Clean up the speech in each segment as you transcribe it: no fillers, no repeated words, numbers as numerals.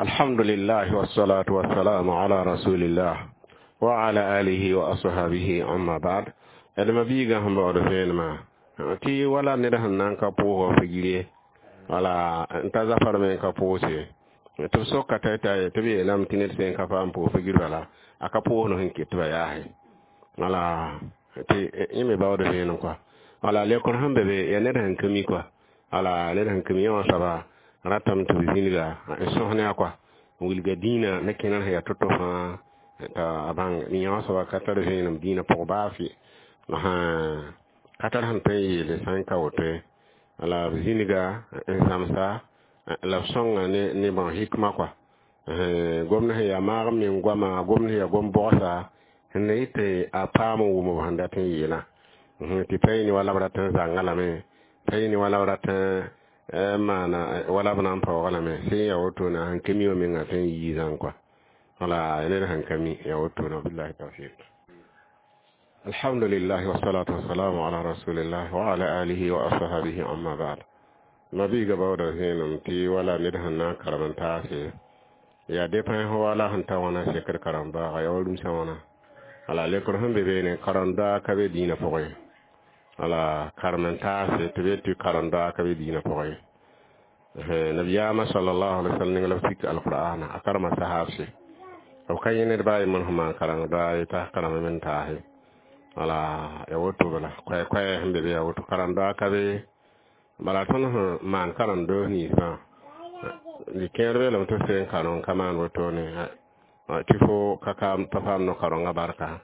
Alhamdulillah wassalatu wassalamu ala rasulillah wa ala alihi wa ashabihi, amma ba'd. Adama biiga sẽn baood vẽenemã tɩ wala ned sẽn na n ka pʋʋsg figre wala n ta zafar me n ka pʋʋse tɩ b soka t'a tɩ b yeelame tɩ ned sẽn ka paam pʋʋs figr bala a ka pʋʋsd sẽn ket tɩ ba yaase wala tɩ yẽ me baood vẽenem kɔa wala lekr sẽn be be yaa ned sẽn ka mi kɔa wala ned sẽn ka mi yã wã soaba ratame tɩ b zĩnga n sõs ne a kɔa n wilga dĩinã ne kẽna sẽn yaa to-to fãa t'a a bãng yã wã soaba ka tar vẽenem dĩinã pʋg baa fɩ ka tar sẽn tõe n yeele sã n ka woto ye la b zĩnga n zãmsa la b sõnga ne bõn hikma kɔa gomd sẽn yaa maag meng goama gomd sẽn yaa gom bogsa sẽn na yɩ tɩ a paam n wʋm b sẽn dat n yeelã tɩ pa yɩ ne wala b rat n zãnga lame pa yɩ ne wala b rat n maana wala b na n paooga lame sẽn yaa wotone a sẽn ka mi wã menga tõe n yii zãng kɔa wala ned sẽn ka mi yaa wotone billahi tawfiq. Alhamdulillah wassalatu wassalamu ala rasulillah wa ala alihi wa ashabihi, amma ba'd. Mabiiga baooda vẽenem tɩ wala ned sẽn na n karem n taase yaa dépend fo wala sẽn ta wãna sekr karen-baaga yaa wa rũmsã wãna wala lekr sẽn be beene karen-doa ka be dĩinã pʋgẽ wala karem n taase tɩ be tɩ karen-doa ka be dĩinã pʋgẽ. Nabiyaamã sallallahu alaihi wasallam ning la b sik alqur'ana a karema sahaabse b ka yẽ ned baa yembr sẽn maan kareng-doa ye t'a karem me n taase wala ya woto bala koɛ-koɛ sẽn be be ya woto karen-doa ka be bala tõnd sẽn maan karen-doos ninsbã kẽer beelame tɩ f seen kareng ka maan wotone tɩ fo ka pa paam no-karengã barka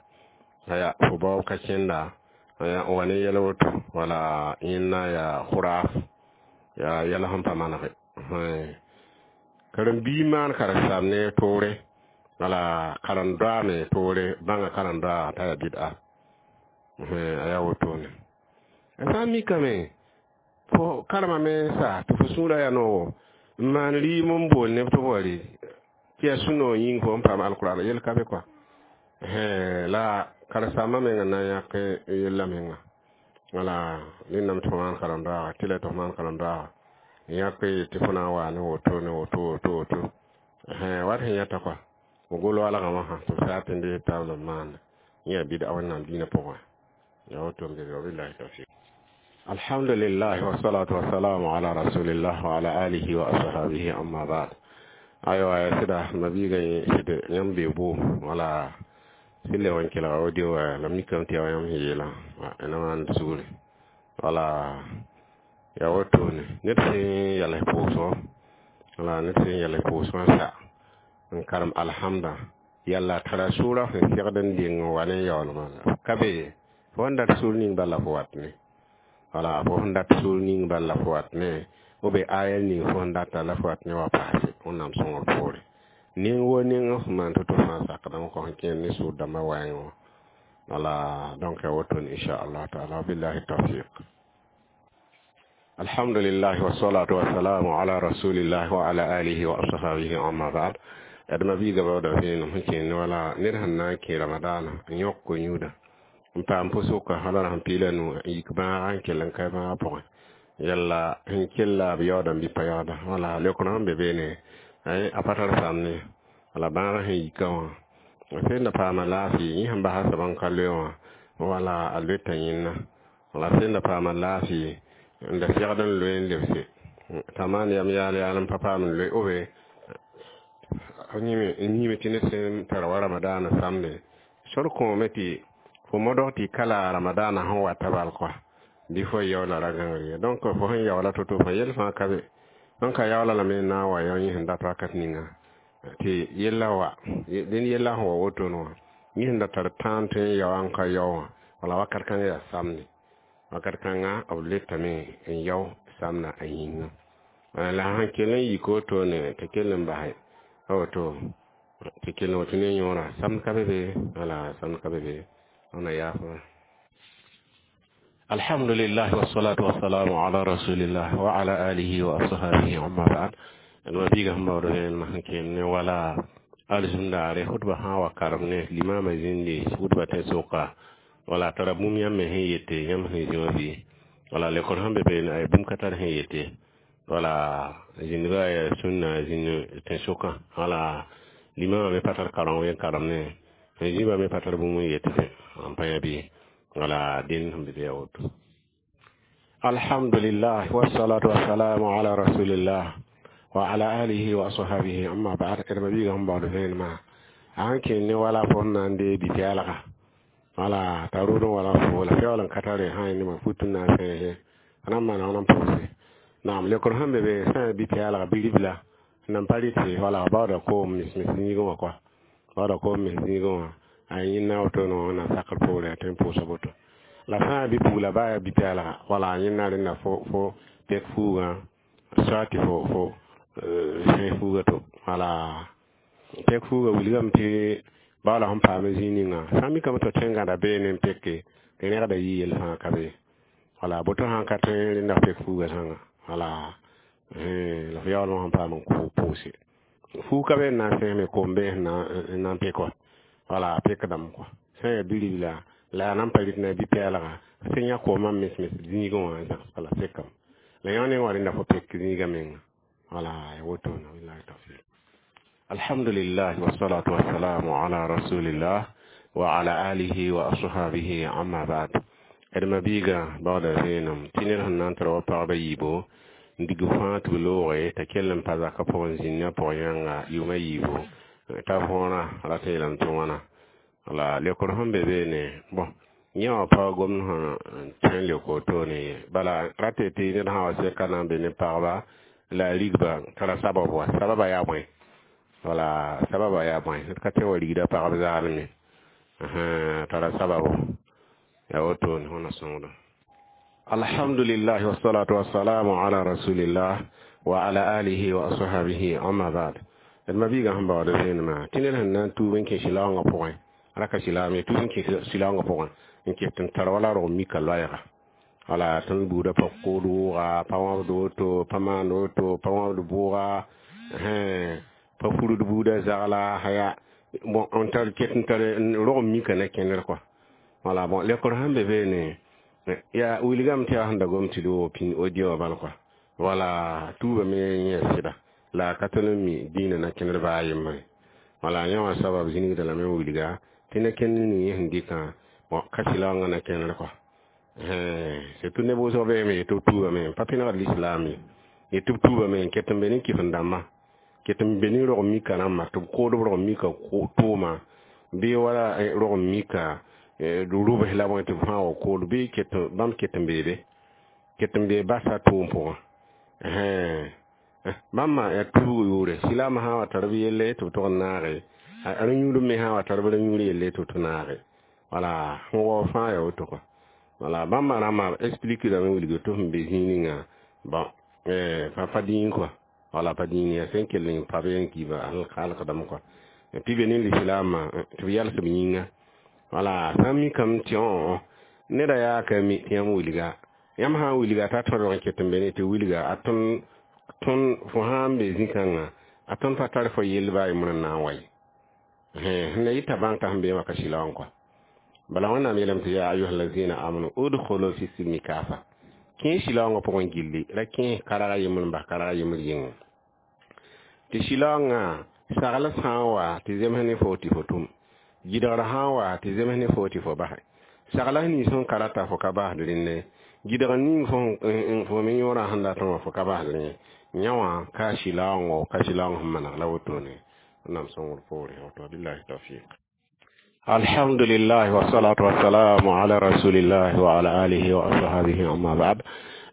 aya fo baoob ka kẽnda n wa ne yɛl woto wala yẽnna yaa khuraf yaa yɛl sẽn pa manege karen-biig maan karen-saam ne toore wala karen-doa me toore bãnga karen-doa t'a yaa bɩd'a a yaa wotone a sã n mikame fo karemame n sa tɩ fo sũurã yaa noogo n maan rɩɩm n bool neb tɩ b wa rɩ tɩ yaa sũ-noog yĩng fo n paam alqur'an yel ka be kɔa la karen-saambã menga na n yãk yella menga wala rẽndame tɩ fo maan karen-doaaga tɩ la tɩ fo maan karen-doaaga n yãk tɩ fo na n waa ne woto ne woto woto woto wat sẽn yãta kɔa fo gol walgã wã sã tɩ b saa tɩ n dees taab la b maanda yẽ yaa bɩd'a Wẽnnaam dĩinã pʋgẽ ya woto n be be wabillahi tawfiq. Alhamdulillah wassalatu wassalamu ala rasulillah wa ala alihi wa ashabihi, amma ba'd. Aywa ya sɩda mabiiga sɩd yãmb bee boom wala sɩ le wã n kelga audio la mikame tɩ yaa yãmb sẽn yeelã na maan sugri wala yaa wotone ned sẽn yals pʋʋsgɔ wala ned sẽn yals pʋʋsgã sa n karem alhamda yalla tara sʋʋra sẽn segd n deng n wa ne yaoolmã ka be fo sẽn dat sũur ning bala fo wat ne wala fo sẽn dat sũur ning bala fo wat ne b aya ning fo sẽn data la fo wat ne wa paase Wẽnnaam sõngr poore ning wo ning f maan to-to fãa sakdame kõ sẽn kẽer ne sʋʋr dãmbã waɛɛngẽ wã wala donc ya wotone inchallah taala billahi tawfiq. Alhamdulillah wassalatu wassalamu ala rasulillah wa ala alihi wa ashabihi, amma ba'd. Adama biiga baooda vẽenem sẽn kẽer ne wala ned sẽn na n kẽ ramadaana n yõk ko-yũuda n paam pʋsʋka wala sẽn piila nu n yik bãaga n kell n kae bãagã pʋgẽ yalla sẽn kella b yaoodame bɩ pa yaooda wala leokr sẽn be beene a pa tar samne wala bãagã sẽn yika wã sẽn da paama laafɩ yẽ sẽn basa soab n ka loe wã wala a loeta yẽnna wala sẽn da paama laafɩ n da segd n loe n lebse t'a maan yam yaal yaal n pa paam n loe obe yĩme tɩ ned sẽn tar wa ramadaana samde sor kõome tɩ fo modg tɩ kala ramadaana sẽn wata bal kɔa bɩ fo yaoola ra gãngr ye donc fo sẽn yaoola to-to fã yel fãa ka be sẽn ka yaoola lame n na n wa yao yẽ sẽn dat wakat ninga tɩ yella wa dẽnd yella sẽn wa wotone wã yẽ sẽn da tar tãan tõe n yaoa n ka yao wã wala wakat kãngã yaa samde wakat kãngã b letame n yao samda a yĩnga la sãn kell n yik wotone tɩ kell n basɛ a woto tɩ kell n woto ne yõora samd ka be be wala samd ka be be wẽnna yaafã. Alhamdulillah wassalatu wassalamu ala rasulillah wa ala alihi wa ashabihi, amma ba'd. Mabiiga sẽn baood vẽenemã sẽn kẽer ne wala alizũndaare hudba sã wa karem ne limama zĩndi hudba tẽn-soka wala tara bũmb yãmb me sẽn yete yãmb sẽn zĩ wã bɩ wala lekor sẽn be beene ay bũmb ka tar sẽn yete. Wala zĩndbã yaa sũnna zĩnd tẽn-sʋkã. Wala limamã me pa tar kareng n karem ne zĩbã me pa tar bũmb n yet n pa yã bɩ wala dẽnd sẽn be be yaa woto. Alhamdulillah, wassalatu wassalamu ala rasulillah wa ala alihi wa ashabihi, amma ba'd. D ma-biigã sẽn baood vẽenemã a sẽn kẽn ne wala fo sẽn na n dee bi-pɛɛlga wala t'a rʋʋd n wala fo la feool n ka tare sã n ne fut n na n sẽese a na n maana wãn n pʋgse. Naam, leokr sẽn be be sã n bi-pɛɛlga bi-ribla n nan pa rɩtɩ wala baooda koom mis-mis zĩigẽ wã kɔa baooda koom mis zĩigẽ wã a yẽnda wotone wã wẽnnaam sakr poore tɩ n pʋʋsa boto la sã n bi-pugla baa yaa bi-pɛɛlga wala yẽnda rẽnda fo pek fuugã soit tɩ fo sẽes fuuga to wala pek fuuga wilgame tɩ bao la sẽn paam zĩig ninga sã n mikame tɩ tõe n gãda beene n peke tɩ rẽgda yɩ yell fãa ka be wala boto sã n ka tõe rẽnda pek fuuga sãnga wala la f yaoolmã sẽn paam n pʋʋse fuug ka be n na n sẽsme koom be n na n pek wa wala pekdame kɔa sã n yaa bi-ribla la yaa nan pa rɩt na bi-pɛɛlga sẽn yã koomã mis-mis zĩigẽ wã n zãgs bala sekame la yõ ne wa rẽnda fo pek zĩigã menga wala ya wotone. Billahi tawfiq. Alhamdulillah, wassalatu wassalamu ala rasulillah wa ala alihi wa ashabihi, amma ba'd. D ma-biiga baooda vẽenem tɩ ned sẽn na n tara wa pagba yiibo n dig fãa tɩ b looge t'a kell n pa zakã pʋgẽ zĩnd a pʋg yãnga yʋʋma yiibu t'a võorã rat n yeelame tɩ wãna la leokr sẽn be beene bõn yẽ wã pa gomd sẽn tõe n leok wotone ye bala rate tɩ ned sã wa sɛka na n be ne pagba la a rigba tara sabab wa sababa yaa bõe wala sababa yaa bõe d ka tõe wa rigda pagb zaalme tara sababu ya wotone wẽna sõngda. Alhamdulillah, wassalatu wassalamu ala rasulillah wa ala alihi wa ashabihi, amma ba'd. D ma-biigã sẽn baood vẽenemã tɩ ned sẽn na n tuub n kẽ sɩlaoongã pʋgẽ raka silaame tuub n kẽ sɩlaoongã pʋgẽ n ket n tar wala rog mika loɛɛga wala tõnd buudã pa kood wʋʋga pa wãbd woto pa maand woto pa wãbd bʋʋga pa furd buudã zagla haya bon n tar ket n tar rog mika na kẽnder kɔa wala bon leokr sẽn be beene yaa wilgame tɩ yaa sẽn da gom tɩ d wo pĩn audio wã bal kɔa wala tuubame yẽ sɩda la a ka tõnd n mi dĩinã na kẽnder baa a yembre wala yẽ wã sabab zĩnigda lame n wilga tɩ na kẽnd ning yẽ sẽn dɩkã bon ka sɩlaoongã na kẽnder kɔa surtout neb wʋsg beeme yetɩ b tuubame n pa pẽnegd lislaam ye yetɩ b tuubame n ket n be ne kɩf-n-dãmbã ket n be ne rog mika rãmbã tɩ b kood b rog mika tʋʋma bɩ wala rog mika rʋbs la bõe tɩ b fãa wa kood bɩ ket bãmb ket n beebe ket n bee basa tʋʋm pʋgẽ bãmba yaa tuubg yʋʋre silaamã sã n wa tar b yelle tɩ b tog n naage a rẽ-yũud me sã n wa tar b rẽ-yũud yelle tɩ b tɩ naage wala sẽn wao fãa yaa woto kɔa wala bãmba rãmbã explique rame wilg tɩ sẽn be zĩig ninga bon pa dĩin kɔa wala pa dĩin yaa sẽn kell n pa be n kiiba halkdame kɔa tɩ be ne lislaamã tɩ b yals b yĩnga wala sã n mikame tɩ õ neda yaa ka mi tɩ yãmb wilga yãmb sã n wilga t'a tõdg n ket n be ne tɩ wilga a tõnd tõnd fo sã n be zĩ-kãngã a tõnd pa tar fo yell baa yembr n na n wa ye sẽn la yɩta bãng t'a sẽn beẽ wã ka sɩlaoong kɔa bala wẽnnaam yeelame tɩ ya ayuha lazina amanu udkhulu fi silmi kafa kẽ sɩlaoongã pʋgẽ gilli ra kẽ karaga yembr n bas karaga yembr yĩnga tɩ sɩlaoongã sagl sã n wa tɩ zems ne fo tɩ fo tʋm gɩdgr sã n wa tɩ zems ne fo tɩ fo basɛ sagla nins sẽn ka rata fo ka basd rẽnne gɩdg ning fo me yõorã sẽn datẽ wã fo ka basd rẽ yã wã ka sɩlaoongo ka sɩlaoong sẽn maneg la wotone wẽnnaam sõngr poore woto. Billahi tawfiq. Alhamdulillah, wassalatu wassalamu ala rasulillah wa ala alihi wa ashabihi, amma ba'd.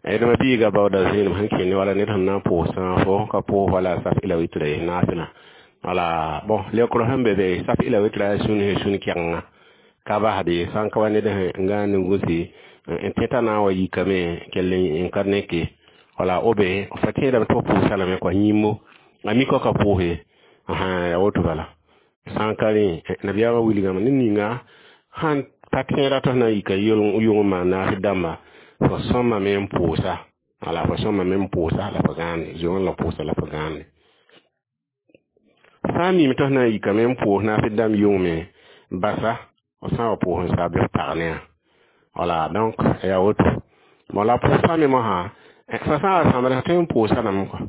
D ma biiga baooda zẽenem sẽn kẽne wala ned sẽn na n pʋʋsã fo ka pʋʋs wala saf ila witra ye naasẽna wala bon leokr sẽn be be saf ila witra yaa sũn sũn kɛgenga ka basd ye sã n ka wa ned sẽn gãan ne gũsi n tẽta na n wa yikame kell n ka neke wala obe fa tẽedame tɩ f pʋʋsa lame kɔa yĩmbo a mika ka pʋʋse yaa woto bala sã n ka rẽ nabiyaamã wilgame ne ninga sãn pa tẽeda tɩ f na n yika yʋng n maan naas dãmba fo sõmame n pʋʋsa wala fo sõmame n pʋʋsa la fo gãande zoe la pʋʋsa la fo gãande sã n mime tɩ f na n yikame n pʋʋs naas dãmb yʋngme basa f sã n wa pʋʋs n sa bɩ f pag ne wala donc yaa woto bon la pʋʋsã me mosã Fo sã n wa sãmbd f tõe n pʋʋsa lame kɔa.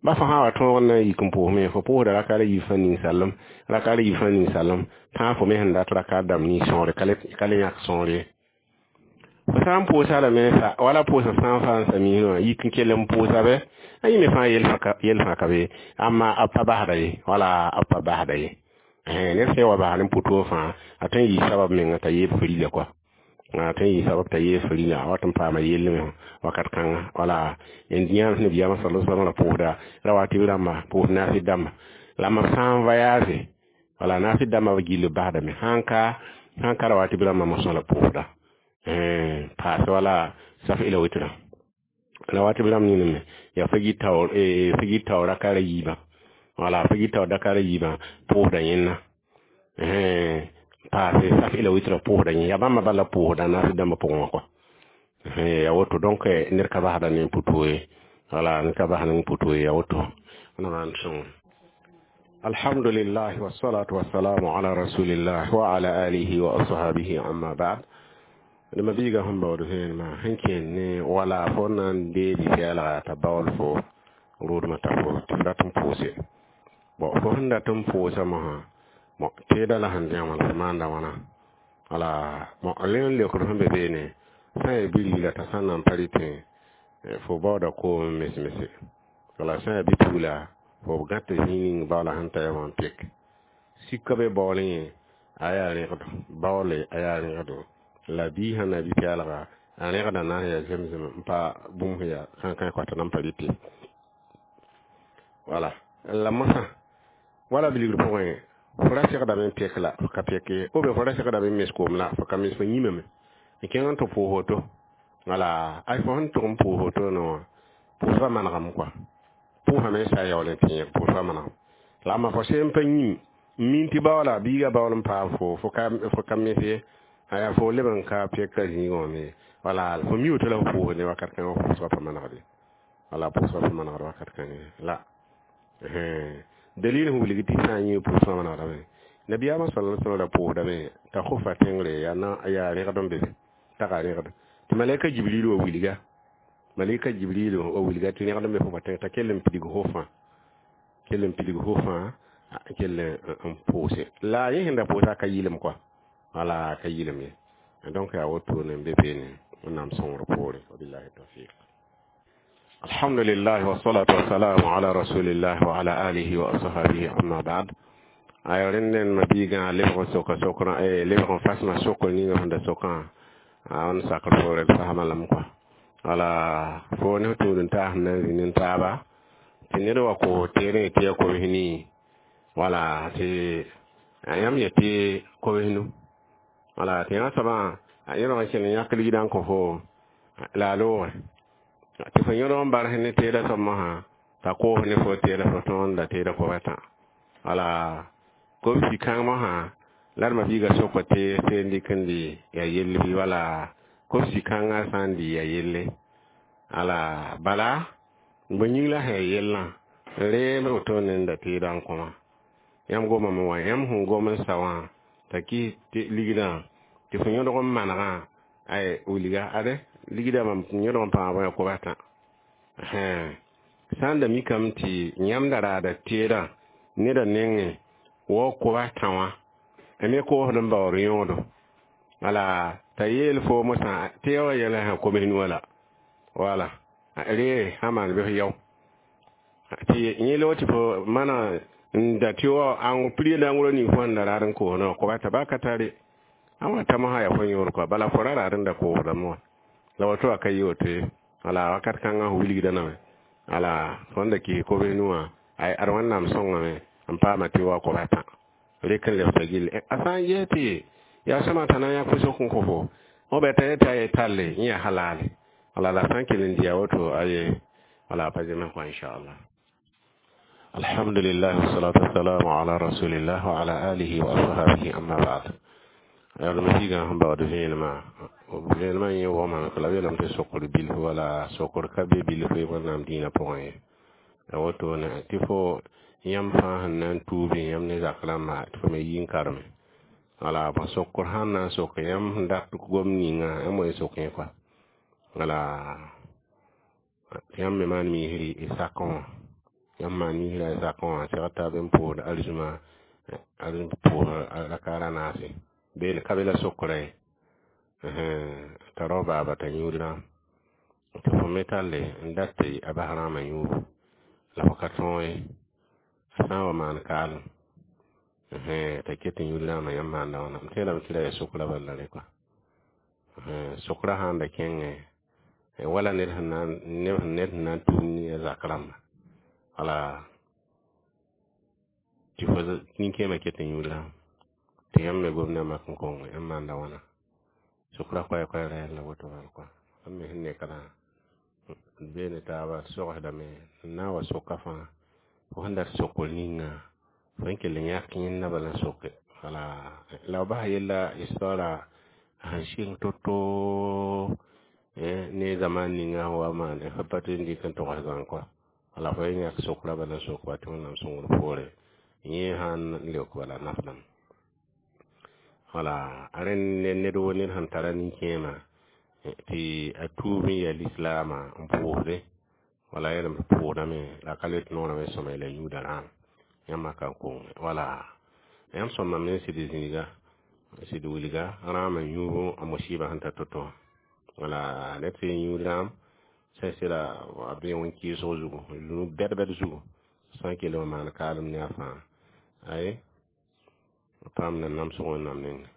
Ba fo sã n wa tõog n na n yik n pʋʋsme, fo pʋʋsda rakaar a yiib fãa ninsalem, rakaar a yiib fãa ninsalem, tãag fo me sẽn dat rakaar dãmb nins sõore ka le yãk sõor ye. Fo sã n pʋʋsa lame sa, wala pʋʋsg sã n fa n sa miisẽ wã, yik n kell n pʋʋsa bɛ, a yẽ me fãa yel fãa ka be, amma b pa basda ye, wala b pa basda ye. Ned sẽn wa basd n pʋ fãa, a tõe n yɩ sabab menga t'a yeeb farila kɔa. A tõe n yɩ sabab t'a yeeb farila, a wat n paama yell me wakat kãnga. Wala n yãan nabiyaamã sallallahu alaihi wasallam ra pʋʋsda rawatib rãmba, pʋʋs naafɩd dãmba. La mam sã n voyage, wala naafɩd dãmba b gill b basdame, sãn ka rawatib rãmba mosã la pʋʋsda. Paase wala saf ila witra. Rawatib rãmb ningame yaa fagit taoor rakaar a yiibã. Wala fagit taoor rakaar a yiibã pʋʋsda yẽnna. Paase saf ila witra pʋʋsda yẽ. Yaa bãmba bala pʋʋsda naafɩd dãmbã pʋgẽ wã kɔa. Ya woto donc ned ka basda ne pʋ ye. Wala ned ka basd ne pʋ ye, ya woto. Wẽnnaam sõngo. Alhamdulillah wassalatu wassalamu ala rasulillah wa ala alihi wa ashabihi, amma ba'd. Nima biiga sẽn baood vẽenemã sẽn kẽen ne wala fo na n deeg pɛɛlga t'a baool fo rʋʋdmã t'a fo tɩ f rat n pʋʋse. Bon, fo sẽn dat n pʋʋsa mosã, bon, teedã la sẽn dẽgem la fo maanda wãna. Wala bon, rẽ n leokd sẽn be beene, sã n yaa bi-ribla t'a sã n na n pa rɩtẽ, fo baooda koom mes-mese. Wala sã n yaa bi-pugla, fo gãt zĩig ning baoola sẽn ta wã n pek. Sika be baool yẽ, a yaa rẽgdo, baoole a yaa rẽgdo. La bii sãn na bi-pɛɛlga, a rẽgda na n yaa zemzem n pa bũmb sẽn yaa kãnkãe kɔa t'a na n pa rɩte. Wala la mosã wala bilgr pʋgẽ, fo ra segdame n pek la fo ka pek ye, ou bien fo ra segdame n mes koom la fo ka mes, fo yĩmame n kẽng n tɩ pʋʋs woto. Wala ay fo sẽn tʋg n pʋʋs woto ne wã, pʋʋsga manegame kɔa. Pʋʋsame n sa yaool n tɩ yẽg pʋʋsga manegame. La amma fo sẽn pa yĩm n min tɩ baoola biiga baool n paam fo, fo ka mes ye, aya fo leb n ka pek ka zĩigã wã me. Wala fo mi woto la fo pʋʋs ne wakat kãngã, pʋʋsga pa manegd ye. Wala pʋʋsga pa manegd wakat kãngã la. Dalil sẽn wilg tɩ sã n yẽ pʋʋsgã manegdame. Nabiyaamã sallallahu alaihi wasallam ra pʋʋsdame t'a khofa tẽngre yaa na yaa rẽgd n be be, taga rẽgd. Tɩ malɛka Jibril wa wilga. Malɛka Jibril wa wilga tɩ rẽgd n be fofa tẽng t'a kell n pidig fofã. Kell n pidig fofã, kell n pʋʋse. La yẽ sẽn da pʋʋsa ka yɩlem kɔa. Wala ka yɩlem ye. Donc yaa woto ne n be beene Wẽnnaam sõngr poore. Wabillahi tawfiq. Alhamdulillah wassalatu wassalamu ala rasulillah wa ala alihi wa ashabihi, amma ba'd. Ay rẽnd ma biigã lebg n soka sokrã, lebg n fasmã sokr ninga sẽn da sokã, a n sakr poore d fasmã lame kɔa. Wala fo ne f tũud n taas n na n zĩ ne taaba tɩ ned wa koos teerẽ tɩ yaa kobs nii, wala tɩ yãmb yetɩ kobs nu. Wala tɩ yã soabã a yẽlg n kell n yãk ligdã n kõ fo la a loogre. Tɩ fo yõdg n bars ne teedã soab mosã t'a koos ne fo teedã fo tõog n da teedã kob a tã. Wala kobsi kãng mosã la d ma-biigã sokã tɩ seen dɩk n dɩ yaa yell bɩ, wala kobsi kãngã sã n dɩ yaa yelle. Ala bala bõe yĩng la sẽn yaa yellã reem woto ne n da teedã n kõma. Yãmb gomame wã, yãmb sẽn gom n sa wã t'a kɩs tɩ ligdã tɩ fo yõdg n manegã, ay wilga ade ligdã mam yõdg n pãag bõe kob a tã. Sã n da mikame tɩ yãmb da raada teedã neda nengẽ wa kob a tã wã, a me koosd n baood yõodo. Wala t'a yeel fo mosã tɩ ya wa yɛla sã koms nu la. Wala re sã maan bɩ f yao. Tɩ yẽ loog tɩ fo mana n da tɩ wa ãng piri la ãng ning fo sẽn da raad n koosdã wã kob a tã baa ka tare. A wa ta mosã yaa fo yõod kɔa, bala fo ra raad n da koosdame wã. La woto wa ka yɩ woto ye. Wala wakat kãngã f wilgda name. Ala fo n da kɩs kobs nu wã, ay ad Wẽnnaam sõngame n paama tɩ wa kob a tã. Rek n lebsa gill. A sã n ges tɩ yaa sõma t'a na n yãk fo sok n kõ fo, f bɛ t'a yetɩ a ye talle yẽ yaa halale. Wala la sã n kell n dɩ a woto aye wala pa zems kɔa inchallah. Alhamdulillah wassalatu wassalamu ala rasulillah wa ala alihi wa ashabihi, amma ba'd. Yaa ma biigã sẽn baood vẽenemã, vẽenemã yẽ wʋgmame la b yeelame tɩ sokr bilf, wala sokr ka be bilf Wẽnnaam dĩinã pʋgẽ ye. Ya woto ne tɩ fo yãmb fãa sẽn na n tuube yãmb ne zak rãmba tɩ fo me yi n karme. Wala bõ sokr sãn na n sok yãmb sẽn dat gom ninga yãmb wa sok yẽ kɔa. Wala Tɩ yãmb me maan miisri y sakẽ wã. Yãmb maan miisra y sakẽ wã, segd taab n pʋʋsd arzũma, arzũm pʋʋsd rakaar a naase. Beene ka be la sokrã ye. T'a rao baaba t'a yũud rãam. Tɩ fo me talle n dat tɩ a bas rãamã yũubu la fo ka tõog ye. A sã n wa maan kaalem, t'a ket n yũud rãamã, yãmb maanda wãna? M tẽedame tɩ ra yaa sokrã bala rẽ kɔa. Sokrã sãn da kẽngẽ, wala ned sẽn na ned sẽn na n tũud ne a zak rãmba. Wala tɩ fo nin-kẽemã ket n yũud rãam. Tɩ yãmb me gomda mak n kong, yãmb maanda wãna? Sokrã koɛɛ-koɛɛg ra yɛl la woto bal kɔa. Yãmb me sẽn ne ka d bee ne taaba d sogsdame n na n wa soka fãa. Fo sẽn dat sokr ninga, fo n kell n yãk yẽnda bala n soke. Wala la b basa yella histoara sẽn sɩng to-to ne zaman ninga sẽn wa maan f pa tõe n dɩk n togs zãng kɔa. Wala fo n yãk sokrã bala n sok ba tɩ Wẽnnaam sõngr poore yẽ sãn leok bala nafdame. Wala a rẽnd ne ned wo ned sẽn tara nin-kẽemã tɩ a tuub n yaa lislaamã n pʋʋsde, wala yeelame tɩ pʋʋsdame la a ka le tɩ noorã me sõma la yũuda rãam. Yãmb ka n kong. Wala yãmb sõma me n sɩd zĩiga, sɩd wilga rãamã yũub a musiba sẽn ta to-to. Wala ned tɩ yũud rãam sẽn sɩda a bee wẽn-kɩɩsg zugu, zũnub bɛd-bɛd zugu, sã n kell n maan kaalem ne a fãa. Ay, paam na namsg Wẽnnaam nengẽ.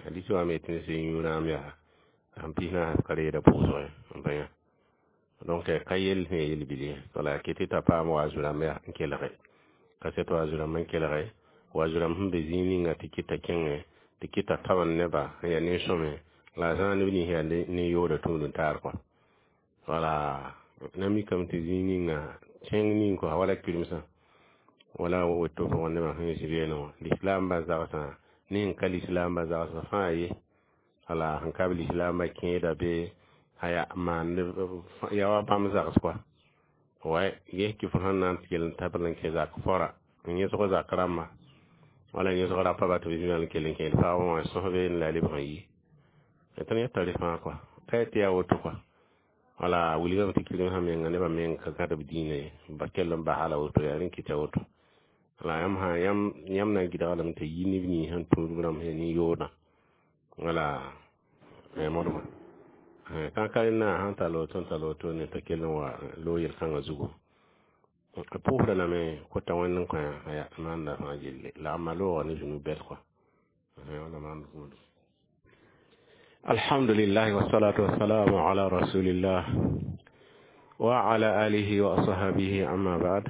Hadisi wã me tɩ ned sẽn yũ rãam yaa sẽn pis naas ka reeda pʋʋsg ye, n pa yã. Donc ka yell sẽn ya yel-bil ye. Wala ket t'a paam wa zu-rãmb yaa n kelge. Kaset wa zu-rãmb n kelge, wa zu-rãmb sẽn be zĩig ninga tɩ kɩta kẽngẽ, tɩ kɩta taoor nebã n yaa nin-sõme, la a zãag neb nins yaa nin-yooda tũud n taar kɔa. Wala na mikame tɩ zĩig ninga tẽng ning kɔa wala kiremsã, wala woto pʋgẽ nebã sẽn zĩ beene wã. Lislaambã zagsã, ne sẽn ka lislaambã zagsã fãa ye. Wala sẽn ka b lislaambã kẽeda be aya maan ya wa bãmb zags kɔa. Way ges tɩ fo sẽn na n kell n tabl n kẽ zak fora n yẽsg zak rãmbã, wala yẽsg rapa ba tɩ b zĩ n kell n kẽed pagb wã sõsbe n la lebg n yi. Tõnd yeta rẽ fãa kɔa. Ka tɩ yaa woto kɔa. Wala wilgame tɩ kiremsã menga nebã meng ka gãd b dĩinã ye, ba kell n basa la woto, yaa rẽn kɩta woto. Wala yãmb sã yãmb na n gɩdga lame tɩ yi neb nins sẽn tũud b rãmb sẽn nin-yoodã. Wala modma. Kãn-ka rẽnda sãn tall woto n tall woto ne t'a kell n wa loog yel-kãngã zugu. A pʋʋsda lame kota Wẽnd n kõ aya maanda fãa gilli la a ma loogã ne zũnub bɛd kɔa. Wala maand gũudum. Alhamdulillah wassalatu wassalamu ala rasulillah wa ala alihi wa ashabihi, amma ba'd.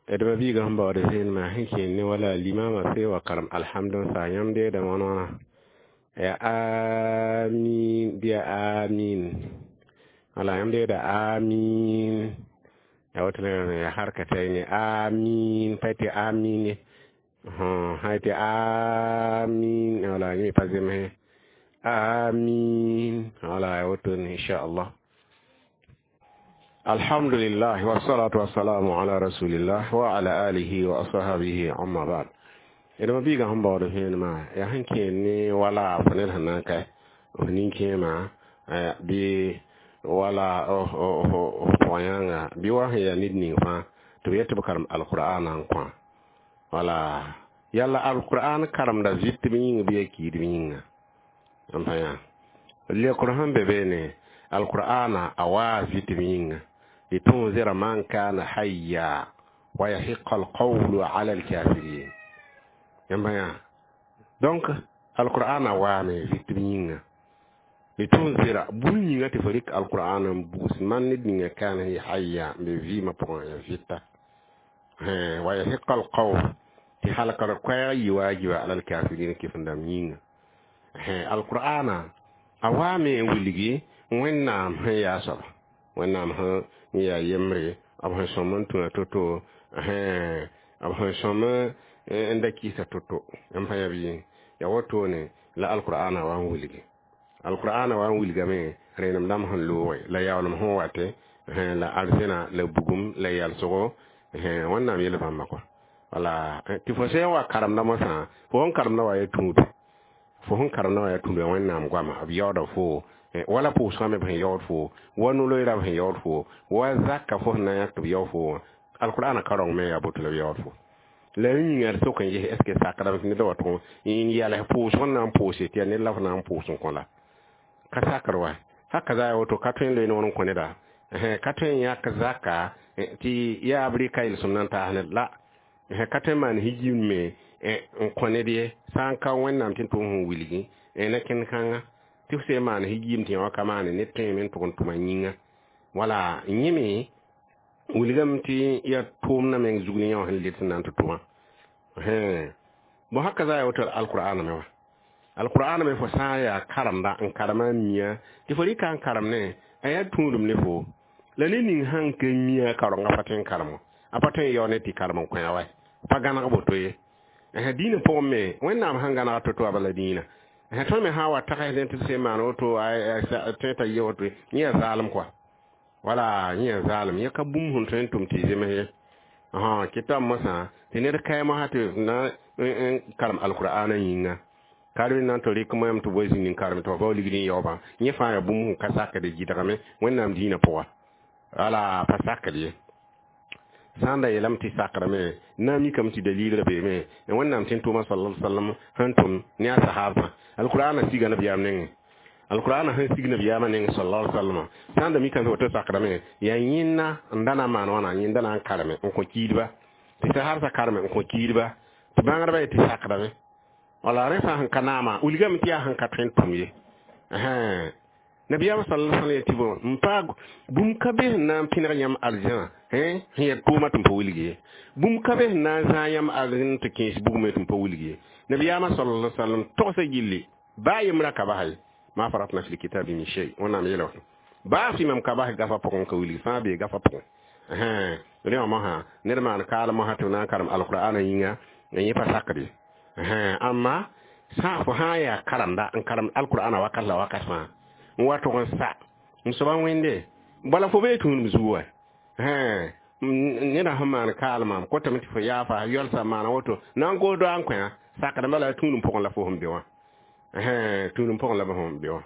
D ma-biigã sẽn baood vẽenemã sẽn kẽen ne wala limama fee wa karem alhamd n saa yãmb deeda wãn-wãna ya amin bɩ ya amin. Wala yãmb deeda amin ya woto ya harkatayne amin pa tɩ amin ye, sã tɩ amin, wala yẽ pa zemse amin, wala ya woto inchallah. Alhamdulillah wassalatu wassalamu ala rasulillah wa ala alihi wa ashabihi, amma ba'd. D ma-biigã sẽn baood vẽenemã yaa sẽn kẽen ne wala fo ned sẽn na n ka f nin-kẽemã bɩ wala f pʋgã-yãnga bɩ wa sẽn yaa ned ning fãa tɩ b yet tɩ b karem alqur'ana n kõ. Wala yalla alqur'an karemda vɩtb yĩng bɩ ya kiidb yĩnga n pa yã. Lekr sẽn be beene alqur'ana a waa vɩtb yĩnga litunzira man kana hayya wa yahiqa alqawlu ala alkafirin. Yãmb yã donc alqur'ana waame vɩtb yĩnga litunzira bũmb yĩnga tɩ fo rɩk alqur'an n bugs man ned ninga kana hayya n be vɩɩmã pʋgẽ ya vɩta wa yahiqa alqawl tɩ halkr koɛɛg yɩ waajiba ala alkafirin kɩf-n-dãmb yĩnga. Alqur'ana a waame n wilgi Wẽnnaam sẽn yaa soaba, Wẽnnaam sẽn yaa yembre, b sẽn sõm n tũna to-to, b sẽn sõm n da kɩɩsa to-to n pa yã bɩ ya wotone la alqur'ana wa n wilgi. Alqur'ana wa n wilgame rẽenem dãmb sẽn looge la yaoolem sẽn wate la arzẽna la bugum la yalsgo Wẽnnaam yel bãmba kɔa. Wala tɩ fo sẽn wa karemda mosã, fo sẽn karemda wa ya tũudu, fo sẽn karemda wa ya tũudu Wẽnnaam goama b yaooda fo Wala pʋʋsgã me b sẽn yaood fo, wa no-loeera b sẽn yaood fo, wa zaka fo sẽn na n yãk tɩ b yao fo wã, alqur'ana ka-rãong me yaa boto la b yaood fo. La y yĩnga d sok n ges est ce que sakdame tɩ ned wa tʋg n yals pʋʋsg n na n pʋʋse tɩ yaa ned la f na n pʋʋs n kõ la ka sakr wa. Haka za woto ka tõe n loe noor n kõ neda, ka tõe n yãk zaka tɩ yaa b rɩka yel-sõm na n taas ned la, ka tõe n maan higim me n kõ ned ye, sã n ka Wẽnnaam tɩ n tʋm sẽn wilgi ne kẽnd-kãnga tɩ f sẽn maan higim tɩ yã wã ka maane ned tõeme n tʋg n tʋma yĩnga. Wala yẽ me wilgame tɩ yaa tʋʋmdã meng zug ne yã wã sẽn led sẽn na n tɩ tʋmã. Bõ haka za ya woto alqur'ana me wã. Alqur'ana me fo sã n yaa karemda n karema n mia tɩ fo rɩka n karem ne a yaa tũudum ne fo la ne ning sãn ka mia karenga pa tõe n karem a pa tõe n yao ne tɩ karem n kõ wa pa gãneg boto ye. Dĩinã pʋgẽ me Wẽnnaam sãn gãneg to-to a bala dĩinã tõnd me sã n wa tags tɩ b sẽn maan woto tõe t'a yɩ woto yẽ yaa zaalem kɔa. Wala yẽ yaa zaalem, yẽ ka bũmb sẽn tõe n tʋm tɩ zems ye. Kɩta mosã tɩ ned kaɩ mosã tɩ na n karem alqur'ana yĩnga karem na n tɩ rɩk moɛm tɩ boe zĩnd n karem tɩ fa bao ligd n yaoobã, yẽ fãa yaa bũmb sẽn ka sakd gɩdgame Wẽnnaam dĩinã pʋga. Wala pa sakd ye. Sã n da yeelame tɩ sakdame na n mikame tɩ dalilrã beeme Wẽnnaam tɩ n tʋʋma sallallahu alaihi wasallam sẽn tʋm ne a sahabsã. Alqur'ana siga nabiyaam nengẽ, alqur'ana sẽn sig nabiyaamã nengẽ sallallahu alaihi wasallam, sã n da mikame tɩ woto sakdame yaa yẽnna n da na n maan wãna, yẽnda na n kareme n kõ kiidba tɩ sahabsã kareme n kõ kiidba tɩ bãngdbã ye tɩ sakdame. Wala rẽ fãa sẽn ka naama wilgame tɩ yaa sẽn ka tõe n tʋm ye. Nabiyaamã sallallahu alaihi wasallam yetɩ bõ n paag bũmb ka be sẽn na n pẽneg yãmb arzãna sẽn yaa tʋʋma tɩ n pa wilg ye, bũmb ka be sẽn na n zãag yãmb arzẽn tɩ kẽes bugme tɩ n pa wilg ye. Nabiyaamã sallallahu alaihi wasallam togsã gilli baa yembrã ka bas ye, ma faratna fil kitabi min shay, Wẽnnaam yeela woto baa fɩ mam ka bas gafa pʋgẽ ka wilgi fãa bee gafa pʋgẽ. Rẽ wã mosã ned maan kaal mosã tɩ b na n karem alqur'ana yĩnga yẽ pa sakd ye. Amma sã fo sã n yaa karemda n karem alqur'ana wakat la wakat fãa n wa tʋg n sa n soaba wẽnde bala fo bee tũudum zugu wa. Neda sẽn maan kaalmã kotame tɩ fo yaafa yɔlsa maana woto na n goos doa n kõ sakdame la tũudum pʋgẽ la fo sẽn be wã, tũudum pʋgẽ la sẽn be wã.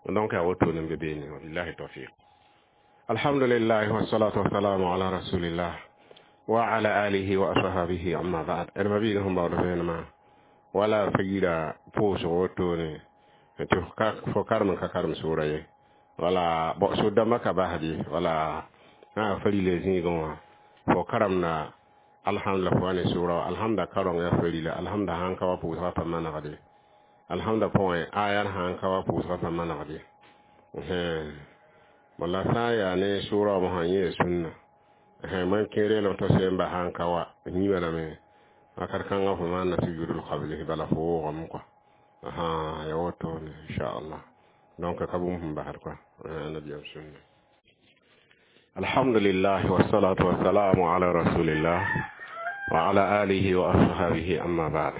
Donc a woto ne be beene. Wabillahi tawfiq. Alhamdulillah wassalatu wassalamu ala rasulillah wa ala alihi wa ashabihi, amma ba'd. D mabiiga sẽn baood vẽenemã wala fa yira pʋʋsg wotone tɩ fo karem n ka karem sʋʋra ye, wala sʋd-dãmbã ka basd wala sã fa rila zĩigẽ wã fo karemda alhamdulillah fo wa ne sʋʋra wã alhamda karong yaa fa rila alhamda sãn ka wa pʋʋsgã pa manegde alhamda pʋgẽ ayar sãn ka wa pʋʋsgã pa manegde. Wala sã n yaa ne sʋʋra wã mosã yẽ yaa sũnna man kẽ reelem tɩ sẽn ba sãn ka wa yĩba lame wakat kãngã fo maanna sujudul qablihi bala fo woogame kɔa ya woto ne inchallah. Donc ka bũmb sẽn basd kɔa nabiyam sunna. Alhamdulillah wassalatu wassalamu ala rasulillah wa ala alihi wa ashabihi, amma ba'd.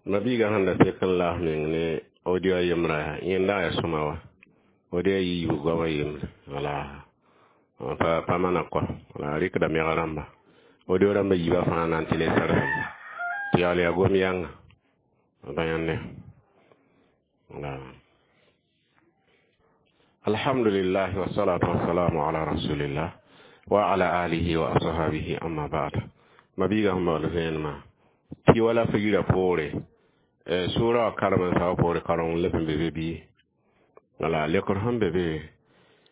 Mabiiga sẽn da tek n laas meng ne audio yembrã yẽnda yaa sõma wa audio yiibu goamã yembre wala pa mana kɔ wala rɩkda meg rãmba audio rãmba yiibã fãa na n tɩ le sarfem tɩ yaool yaa gom yãnga ba yãnde wala. Alhamdulillah wassalatu wassalamu ala rasulillah wa ala alihi wa ashabihi, amma ba'd. Mabiiga sẽn baood vẽenemã tɩ wala fa yirã poore sʋʋra wã karem n sao poore kareng leb n be be bɩ wala lekr sẽn be be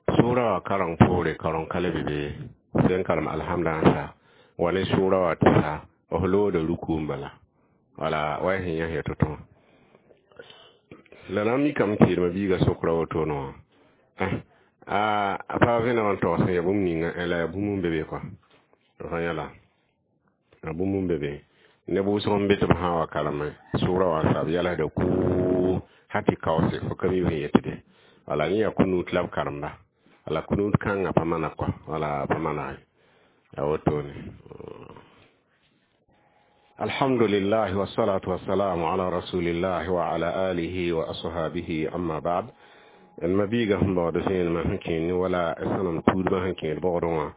sʋʋra wã kareng poore kareng ka le be be sẽn karem alhamda n sa wa ne sʋʋra wã tɩ sa f looda ruku n bala wala wa sẽn yãs ya to-tõ la na n mikame tɩ yeelmã biiga sokra wotone wã a pa vẽneg n togs n ya bũmb ninga la yaa bũmb n be be kɔa fa yãla a bũmb n be be neb wʋsg n be tɩ b sã n wa kareme sʋʋra wã sa b yalsda kuu ha tɩ kaoose fo ka mi sẽn yetde wala yẽ yaa kunut la b karemda wala kunut kãngã pa mana kɔa wala pa manage a wotone. Alhamdulillah wassalatu wassalamu ala rasulillah wa ala alihi wa ashabihi, amma ba'd. D mabiiga sẽn baood vẽenemã sẽn kẽer ne wala sõnem tuudbã sẽn kẽer bogdẽ wã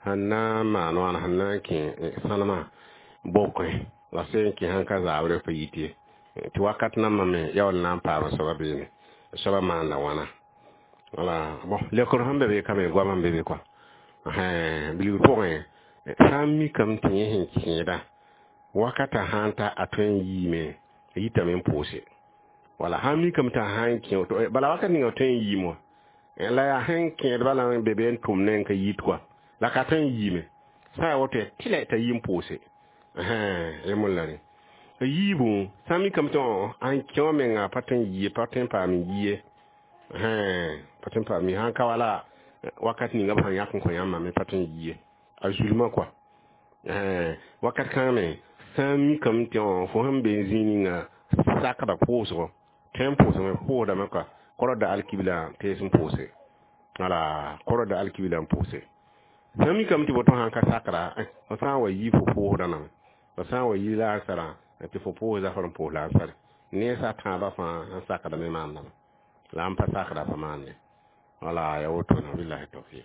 sẽn na n maan wãna sẽn na n kẽ sõnema bokẽ la sẽn kẽ sãn ka zaabrã pa yit ye tɩ wakat nambã me yaool na n paam soaba beene soaba maanda wãna. Wala bon leokr sẽn be be ka me goam n be be kɔa bilg pʋgẽ sã n mikame tɩ yẽ sẽn kẽeda wakata sãn ta a tõe n yiime a yitame n pʋʋse wala sãn mikame t'a sãn kẽ bala wakat ninga tõe n yiim wã la yaa sẽn kẽed bala n be be n tʋm ne n ka yit kɔa la ka tõe n yiime sã n yaa woto tɩlɛ t'a yi n pʋʋse yẽ la rẽ yiibu sã n mikame tɩ n kẽ wã menga pa tõe n yie pa tõe n paam n yie pa tõe n paam sãn ka wala wakat ninga b sẽn yãk n kõ yãmbã me pa tõe n yie a zulmã kɔa wakat kãngã me sã n mikame tɩ fo sẽn be n zĩig ninga sakda pʋʋsgo tõe n pʋʋsgame pʋʋsdame kɔa kɔrda alkibla tees n pʋʋse wala kɔrda alkibla n pʋʋse sã n mikame tɩ boto sãn ka sakra fo sã n wa yi fo pʋʋsda name fo sã n wa yi la ansarã tɩ fo pʋʋs zafr n pʋʋs la ansare ne sa tãabã fãa n sakdame maandame la n pa sakda pa maande wala ya woto na billahi tawfiq.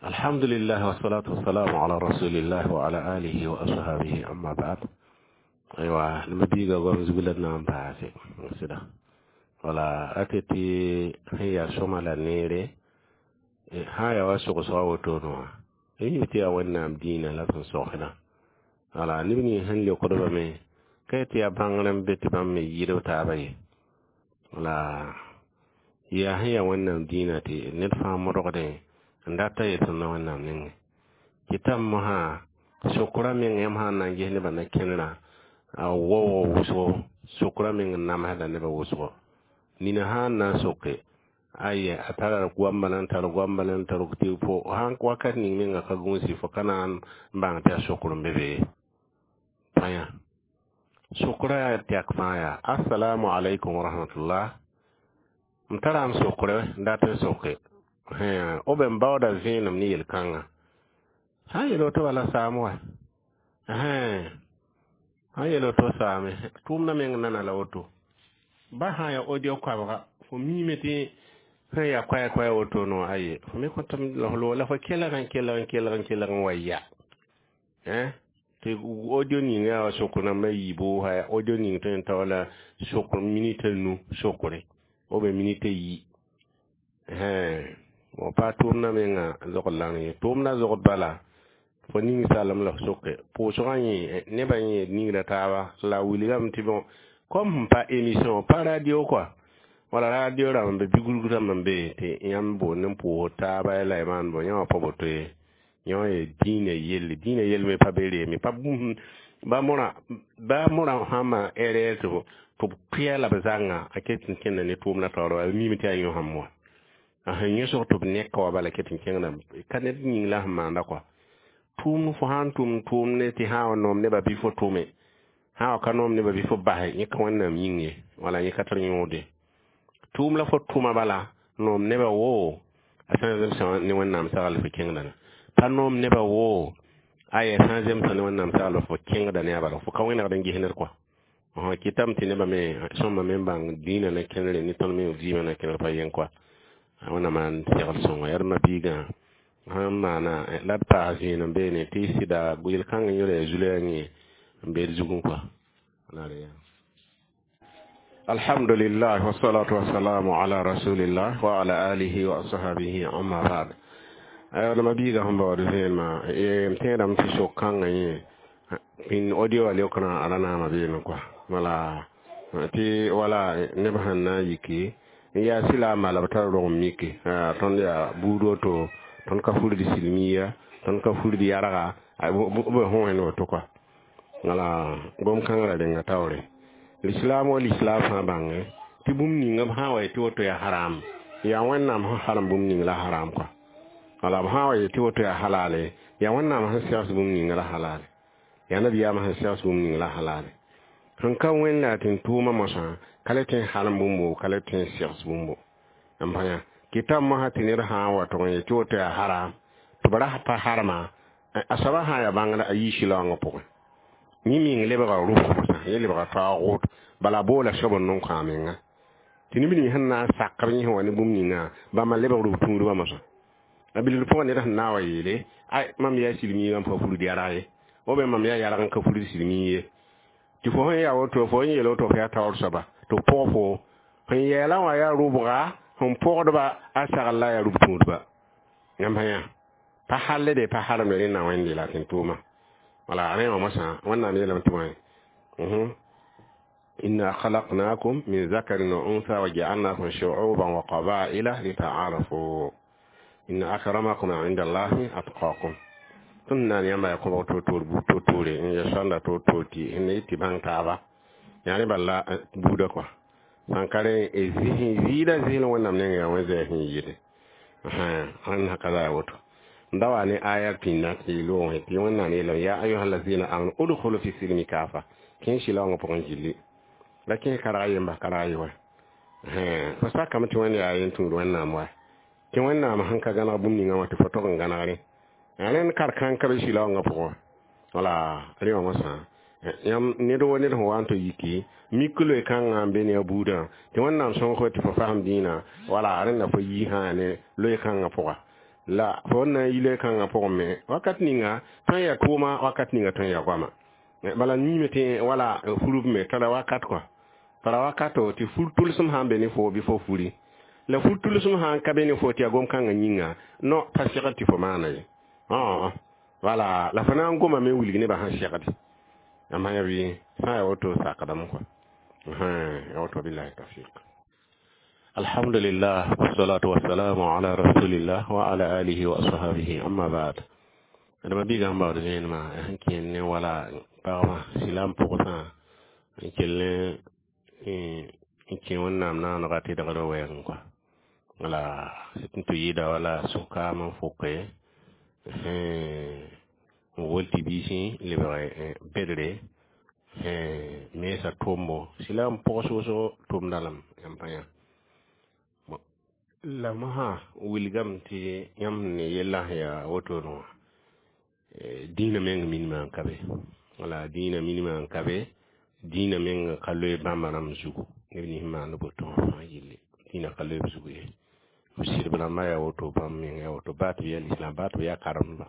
Alhamdulillah wassalatu wassalamu ala rasulillah wa ala alihi wa ashabihi, amma ba'd. Aywa nima biiga gom zugla na n paase sɩda wala rate tɩ sẽn yaa sõma la neere sã n yaa wa sogsga wotone wã yẽ tɩ yaa Wẽnnaam dĩinã la sẽn sogsdã wala neb nins sẽn leokdbame ka tɩ yaa bãngr n be tɩ bãmb me yɩɩd b taaba ye wala yaa sẽn yaa Wẽnnaam dĩinã tɩ ned fãa modgdẽ n data yetɩ na Wẽnnaam nengẽ kɩtame mosã sokra meng yãmb sã n na n ges nebã na kẽnerã a waoog wʋsgo sokra meng n namsda nebã wʋsgo nina sã n na n soke aya a tara goam bala n tar goam bala n tar tɩ fo sãn wakat ning menga ka gũusi fo ka na n bãng tɩ a sokr n be be pãyã sokra yaa tɛk fãa yaa assalamu alaikum wa rahmatullah m tara n sokre n dat n soke b n baooda vẽenem ne yel-kãngã sã n yeel woto bala saam wa sãn yeel woto saame tʋʋmdã meng nana la woto ba sã n yaa audio koabga fo miime tɩ sẽn yaa koɛɛ koɛɛ woto no aye fo me kõtame la fo kelg n kelg n kelg n kelg n wa ya tɩ audio ning yaa wa sokr nambã yiibu audio ning tõe n ta wala sokr minita nu sokre b minita yi wa pa tʋʋmdã menga zogd lang ye tʋʋmdã zogd bala fo ning salem la f soke pʋʋsgã yẽ nebã yẽ ningra taaba la wilgame tɩ bon comme sẽn pa émission pa radio quoi wala radio rãmb be bigulg rãmb n be tɩ yãmb boond n pʋʋs taaba la y maan bõ yã wã pa boto ye yã wã ye dĩinã yelle dĩinã yell me pa be reeme pa ba mõrã ba mõrã sã n maan erreur tɩ b kʋɩa la b zãnga a ket n kẽnda ne tʋʋmdã taoor wa miime tɩ yaa yõ sãmb wã a sẽn yõsg tɩ b neka wa bala ket n kẽngda ka ned yĩng la sẽn maanda kɔa tʋʋm fo sã n tʋm tʋʋm ne tɩ sã n wa noom nebã bɩ fo tʋme sã n wa ka noom nebã bɩ fo basɛ yẽ ka Wẽnnaam yĩng ye wala yẽ ka tar yõode tʋʋm la fo tʋma bala noom nebã woo a sã n zemsa ne Wẽnnaam sagl fo kẽngda pa noom nebã woo aya sã n zemsa ne Wẽnnaam sagl fo kẽngda ne a bala fo ka wẽnegd n ges ned kɔa kɩtame tɩ nebã me sõmba me n bãng dĩinã na kẽnere ne tõnd me vɩɩmã na kẽner pa yẽn kɔa Wẽnnaam n segl sõnga yaa d ma-biigã sãn maana la d paas vẽenem beene tɩ sɩda yel-kãng yẽ zulaya yẽ n be d zugẽ kɔa. Alhamdulillah wassalatu wassalamu ala rasulillah wa ala alihi wa ashabihi, amma ba'd. Aywa ma biiga sẽn baood vẽenemã m tẽedame tɩ sok-kãngã yẽ pĩnd audio wã leokrã a ra naama beene kɔa wala tɩ wala neb sẽn na n yiki n yaa silaambã la b tar rog n mike tõnd yaa buud woto tõnd ka furd silmiya tõnd ka furd yarga b võen woto kɔa wala gom-kãngrã renga taoore l'islam wa l'islam fãa bãnge tɩ bũmb ninga b sã n wa yetɩ woto yaa haram yaa Wẽnnaam sẽn harem bũmb ning la haram kɔa wala b sã n wa yetɩ woto yaa halale yaa Wẽnnaam sẽn segs bũmb ninga la halale yaa nabiyaamã sẽn segs bũmb ning la halale sẽn ka wẽnd la tɩ n tʋʋmã mosã ka le tõe n harem bũmbo ka le tõe n segs bũmbo n pa yã kɩtame mosã tɩ ned sã n wa tʋg n yetɩ woto yaa haram tɩ b ra pa harema a soabã sã n yaa bãngda a yii sɩlaoongã pʋgẽ yẽ meng lebga rʋsg mosã yẽ lebga taoog bala boola soab n nong kõ a menga tɩ neb ning sẽn na n sak b yẽsẽ wa ne bũmb ninga bãmba lebg rʋb tũudbã mosã a bilg pʋgã ned sẽn na n wa yeele ay mam yaa silmiigã n pa furd yarg ye ou bien mam yaa yarg n ka furd silmii ye tɩ fo sẽn yaa woto fo n yeel woto fo yaa taoor soaba tɩ b pʋg fo sẽn yɛɛlã wã yaa rʋbga Sẽn pʋgdba a sagl la yaa rub-tũudba. Yãmb sã yã pa halle de pa haremde rẽnna wẽnde la tɩ n tʋʋma. Wala rẽ wã mosã Wẽnnaam yeelame tɩ wã inna khalaqnakum min zakarin wa untha wa ja'alnakum shu'uban wa qaba'ila lita'arafu inna akramakum 'inda Allahi atqakum. Tõnd na n yãmba yaa kõbg toor-toor buud toor-toore n ya sõnda toor-toor tɩ ne tɩ bãng taaba yaa rẽ bala buudã kɔa sãn ka rẽ zɩɩda zɩɩl Wẽnnaam nengẽ yaa wẽn-zɛɛs sẽn yɩɩde rẽnd sã ka za yaa woto. N da wa ne aya pĩnda tɩ loogẽ tɩ Wẽnnaam yeelame ya ayuha allazina amanu udkhulu fi silmi kafa kẽe sɩlaoongã pʋgẽ gilli la kẽes karg yemba karg ye wa fo sakame tɩ Wẽnd yaa yen tũud Wẽnnaam wa tɩ Wẽnnaam sẽn ka gãneg bũmb ninga wã tɩ fo tog n gãnegre rẽnd kar-kãng ka be sɩlaoongã pʋgẽ. Wala rẽ wã mosã yãmb ned wa ned sẽn wa n tɩ yiki mik loe kãngã n be ne a buudã tɩ Wẽnnaam sõng fo tɩ fo fasem dĩinã wala rẽnda fo yi sã ne loe kãngã pʋga la fo n na n yi loe kãngã pʋgẽ me wakat ninga tõe n yaa tʋʋma wakat ninga tõe n yaa goama bala niime tɩ wala furb me tara wakat kɔa tara wakato tɩ fur tʋlsem sã n be ne fo bɩ fo furi la fur tʋlsem sã n ka be ne fo tɩ yaa gom-kãngã yĩnga no pa segd tɩ fo maana ye. Wala la fo na n goma me wilg nebã sẽn segde yãmb sã ya bɩ sã n yaa woto sakdame kɔa ya woto. Billahi tawfiq. Alhamdulillah wassalatu wassalamu ala rasulillah wa ala alihi wa ashabihi, amma ba'd. Adama biiga sẽn baood vẽenemã sẽn kẽer ne wala pagba silam pʋgsã n kell ne n kẽ Wẽnnaam naanega tɩdgr wɛɛngẽ kɔa. Wala n tɩ yɩɩda wala sũ-kaam n foke n wol tɩ biisẽ lebg bedre mensa tʋʋmbo silam pʋg soosgo tʋmda lame. Yãmb pa yã la mosã wilgame tɩ yãmb sẽn ne yellã sẽn yaa wotone wã dĩinã meng minimã n ka be. Wala dĩinã minimã n ka be, dĩinã meng ka loe bãmba rãmb zugu neb nins n maand boto wã fãa yelle dĩinã ka loe b zugu ye. B sɩdb rãmbã yaa woto, bãmb meng yaa woto, baa tɩ b yaa lislam, baa tɩ b yaa karemdba.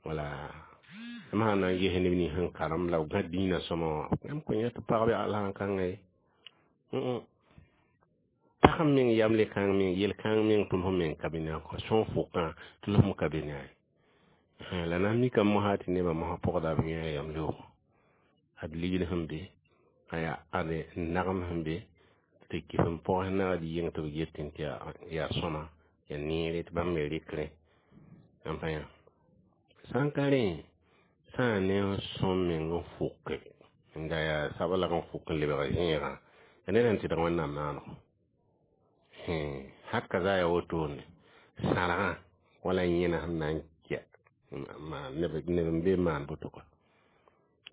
Wala yãmb sã n na n ges neb nins sẽn karem la b gã dĩinã sõma wã yãmb kõn yã tɩ pagb yaa la kãnga ye pag meng yamle kãng meng yel kãng meng tʋls meng ka be ne a kɔ sõn fʋkã tʋlsem ka be ne a ye. La na n mikame mosã tɩ nebã mosã pʋgda b yã yam loogo ad ligd sẽn be a yaa ade nagem sẽn be tɩ kɩs n pɔgs nagd yeng tɩ b getẽ tɩ yaa sõma yaa neere tɩ bãmb me rɩkrẽ. Yãmb pa yã sã n ka rẽ sã n ne sõm meng n fʋke n da yaa sablag n fʋk n lebg zẽegã ya ned sẽn tɩdg Wẽnnaam naanego haka za ya wotone sãrgã wala yẽna sẽn na n kɛ neb n be n maan boto kɔa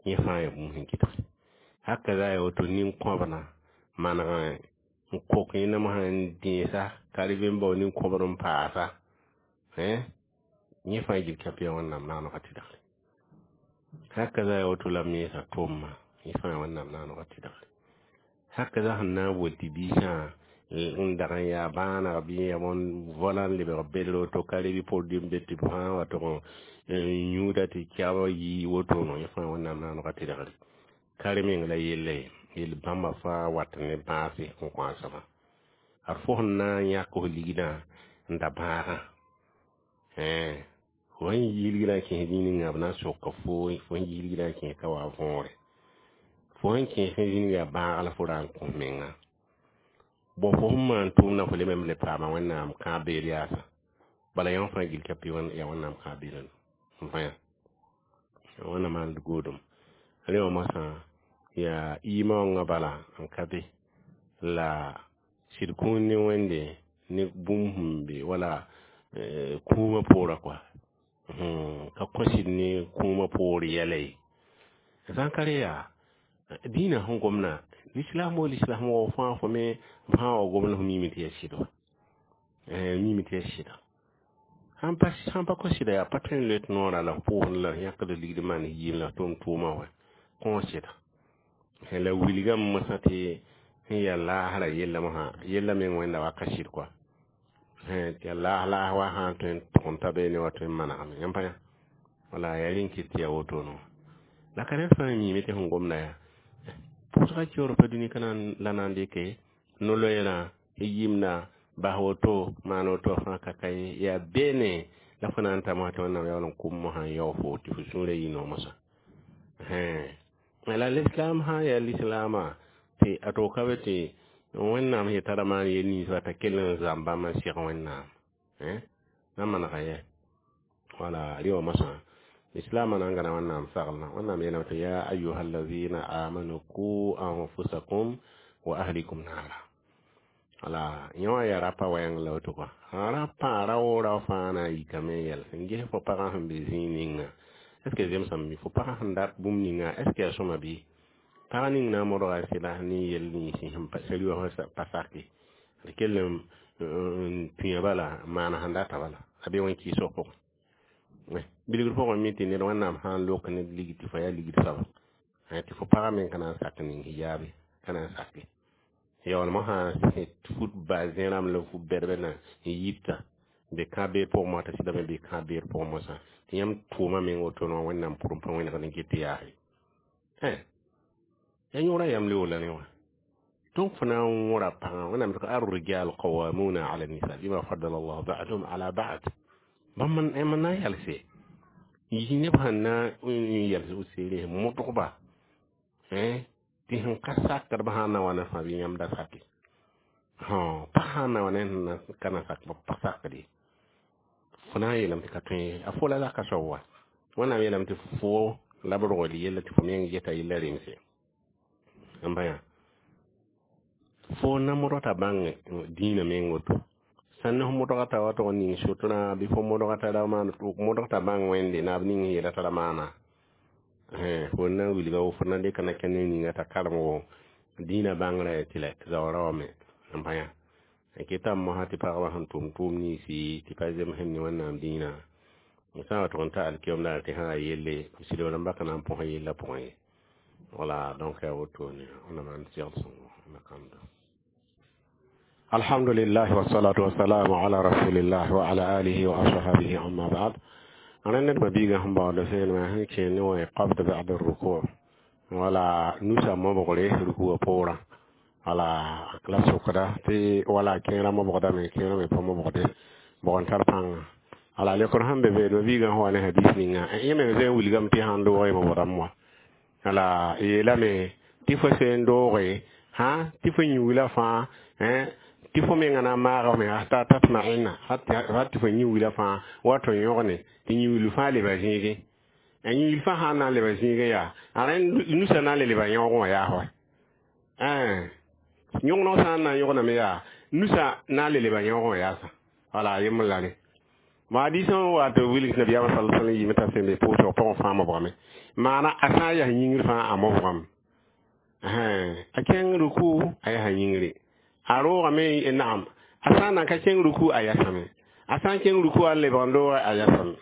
yẽ fãa yaa bũmb sẽn kɩtge haka za ya woto nin-kõbna maneg n kok yẽnam sẽn dẽesa ka rɩ n bao nin-kõbd n paasa yẽ fãa gil kãpɩ yaa Wẽnnaam naanegã tɩdgre. Haka za ya woto la mensa tʋʋmã yẽ fãa yaa Wẽnnaam naanegã tɩdgre. Haka za sẽn na n wol tɩ biisã n dag n yaa bãaneg bɩ ya bõn vola n lebg bedr woto ka re bɩ produit n be tɩ b fãa wa tʋg n yũuda tɩ kɛb yɩ wotono yẽ fãa Wẽnnaam naanegã tɩdgre ka re meng la yella ye yel bãmba fãa wat ne bãase n kõ a soaba ad fo sẽn na n yãk f ligdã n da bãagã fo sẽn yi ligdã n kẽes zĩig ninga b na n soka fo fo sẽn yi ligdã n kẽes ka wa võore fo sẽn kẽes zĩig yaa bãag la fo ra n kõ menga bõ fo sẽn maan tʋʋmdã fo leme le paama Wẽnnaam kãab beed yaasa bala yãmb fãa gil ka pɩ yaa Wẽnnaam kãab beedã n vã Wẽnnaam maand goodem rẽ wã mosã yaa imaoongã bala n ka be la sɩd kũun ne Wẽnde ne bũmb sẽn be wala kũumã poorã kɔa ka kõ sɩd ne kũumã poor yɛla ye sã n ka re yaa dĩinã sẽn gomdã lislam wo lislam wa fãa fo me b sã n wa gomd fo mime tɩ yaa sɩd wa mime tɩ yaa sɩda sãn pa kõ sɩda yaa pa tõe n loe tɩ noorã la f pʋʋsd la yãkd ligd maan yɩɩm la tʋʋm tʋʋmã wa kõ sɩda la wilgame mosã tɩ sẽn yaa laasrã yella mosã yella meng Wẽnda wa ka sɩd kɔa tɩ yaa laas laas wa sã n tõe n tʋg n ta beene wa tõe n manegame. Yãmb pa yã wala yaa rẽn kɩt tɩ yaa wotone wã la ka ned fãa miime tɩ sẽn gomda yaa pʋʋsga keoor pa dũni ka la na n dɩke no-loeerã yɩmda Bas woto maan woto fãa ka ka ye yaa beene la fo na n ta mosã tɩ Wẽnnaam yaool n kʋm mosã n yao fo tɩ fo sũurã yɩ no mosã. La lislaam sã n yaa lislaamã tɩ a to ka be tɩ Wẽnnaam yeta ra maan yel ninsba t'a kell n zãmb bãmb n seg Wẽnnaam na manega yɛ wala rẽ wã mosã lislaamã na n gãna Wẽnnaam saglã. Wẽnnaam yeelame tɩ ya ayuha alazina amanu ku anfusakum wa ahlikum naara. Wala yẽ wã yaa rapa wɛɛng la woto kɔa rapa rao rao fãa na n yikame n yɛl n ges fo pagã sẽn be zĩig ninga. Est ce que zemsame bɩ fo pagã sẽn dat bũmb ninga, est ce que yaa sõma bɩ pag ning na n modga sɩda ne yel nins sẽn sari wã pa sake d kell n tũya bala n maan sẽn data bala a be wẽn-kɩɩsg pʋgẽ bilgr pʋgẽ mi tɩ ned Wẽnnaam sã n lok ned ligd tɩ fo yaa ligd soaba tɩ fo pagã meng ka na n sak ning hijaabe ka na n sake yaool mosã fut ba zẽ-rãmb la fut bɛdbɛ na n yita be kã-beed pʋgẽ mosã t'a sɩdame be kã-beed pʋgẽ mosã tɩ yãmb tʋʋma meng woto wã Wẽnnaam pʋrẽ pa wẽnegd n ket tɩ yaase ya yõora yam le la ne wã. Donc fo na n wõra pagã Wẽnnaam tɩ ar-rijal qawamuna ala nisa bima faddala Allah ba'dhum ala ba'd. Bãmb n na n yalse yi neb sẽn na n yals b seere modgba tɩ sẽn ka sakd b sã n na wa ne fãa bɩ yãmb da sake pa sã n na wa ne ka na sak pa sakd ye fo na n yeelame tɩ ka tõe ye a fo la zaka soab wa Wẽnnaam yeelame tɩ fo la b rogl yella tɩ fo meng geta yella remse n bã yã fo na modg t'a bãng dĩinã meng woto sãn ne fo modga t'a wa tog n ning sotrã bɩ fo modga t'a ra maan modg t'a bãng Wẽnde naab ning sẽn yeela t'a ra maana fo na n wilga fo na n dɩka na kẽ ne ninga t'a karem wo dĩinã bãngrã tɩ la zaoora wame n bã yã n keta mosã tɩ pagba sẽn tʋm tʋʋm ninsi tɩ pa zemsẽ ne Wẽnnaam dĩinã sã n wa tʋg n ta alkiyom daar tɩ sã yaa yelle b sɩd rãmba ka na n põs yellã pʋgẽ ye. Wala donc yaa wotone ona maan segl sõngo na kãndo. Alhamdulillah wassalatu wassalamu ala rasulillah wa ala alihi wa ashabihi, amma ba'd. Rẽnd ned mabiigã sẽn baood sẽenema sẽn kẽ ne wã qabd ba'd ruku wala nusa mobgre rukuwã poorã wala la sokda tɩ wala kẽerã mobgdame kẽerã me pa mobgde bʋg n tar pãnga ala lekr sẽn be be mabiigã sẽn wa ne hadis ninga yẽ me zẽ n wilgame tɩ sãn doog mobgdame wã wala yeelame tɩ fo seen dooge hã tɩ fo yĩwila fãa tɩ fo menga na n maagame hata tatma'inna hat tɩ fo yĩwila fãa wato yõgne tɩ yĩwil fãa leba zĩigẽ a yĩwil fãa sã n na n leba zĩigẽ yaa a rẽnd nusa na n le leba yõog wã yaa wa yõgeneg sã n na n yõgename yaa nusa na n le leba yõog wã yaasa wala yembr la rẽ ma hadisã wa tɩ wilg nabiyaamã sal sallam yɩɩme t'a sẽn be pʋʋsg pʋgẽ fãa mobgame maana a sã n yaa yĩngr fãa a mobgame a kẽng ruku a yaa yĩngre a roogame naam a sã n nan ka kẽng ruku a yasame a sã n kẽng ruku a lebg n dooge a yasame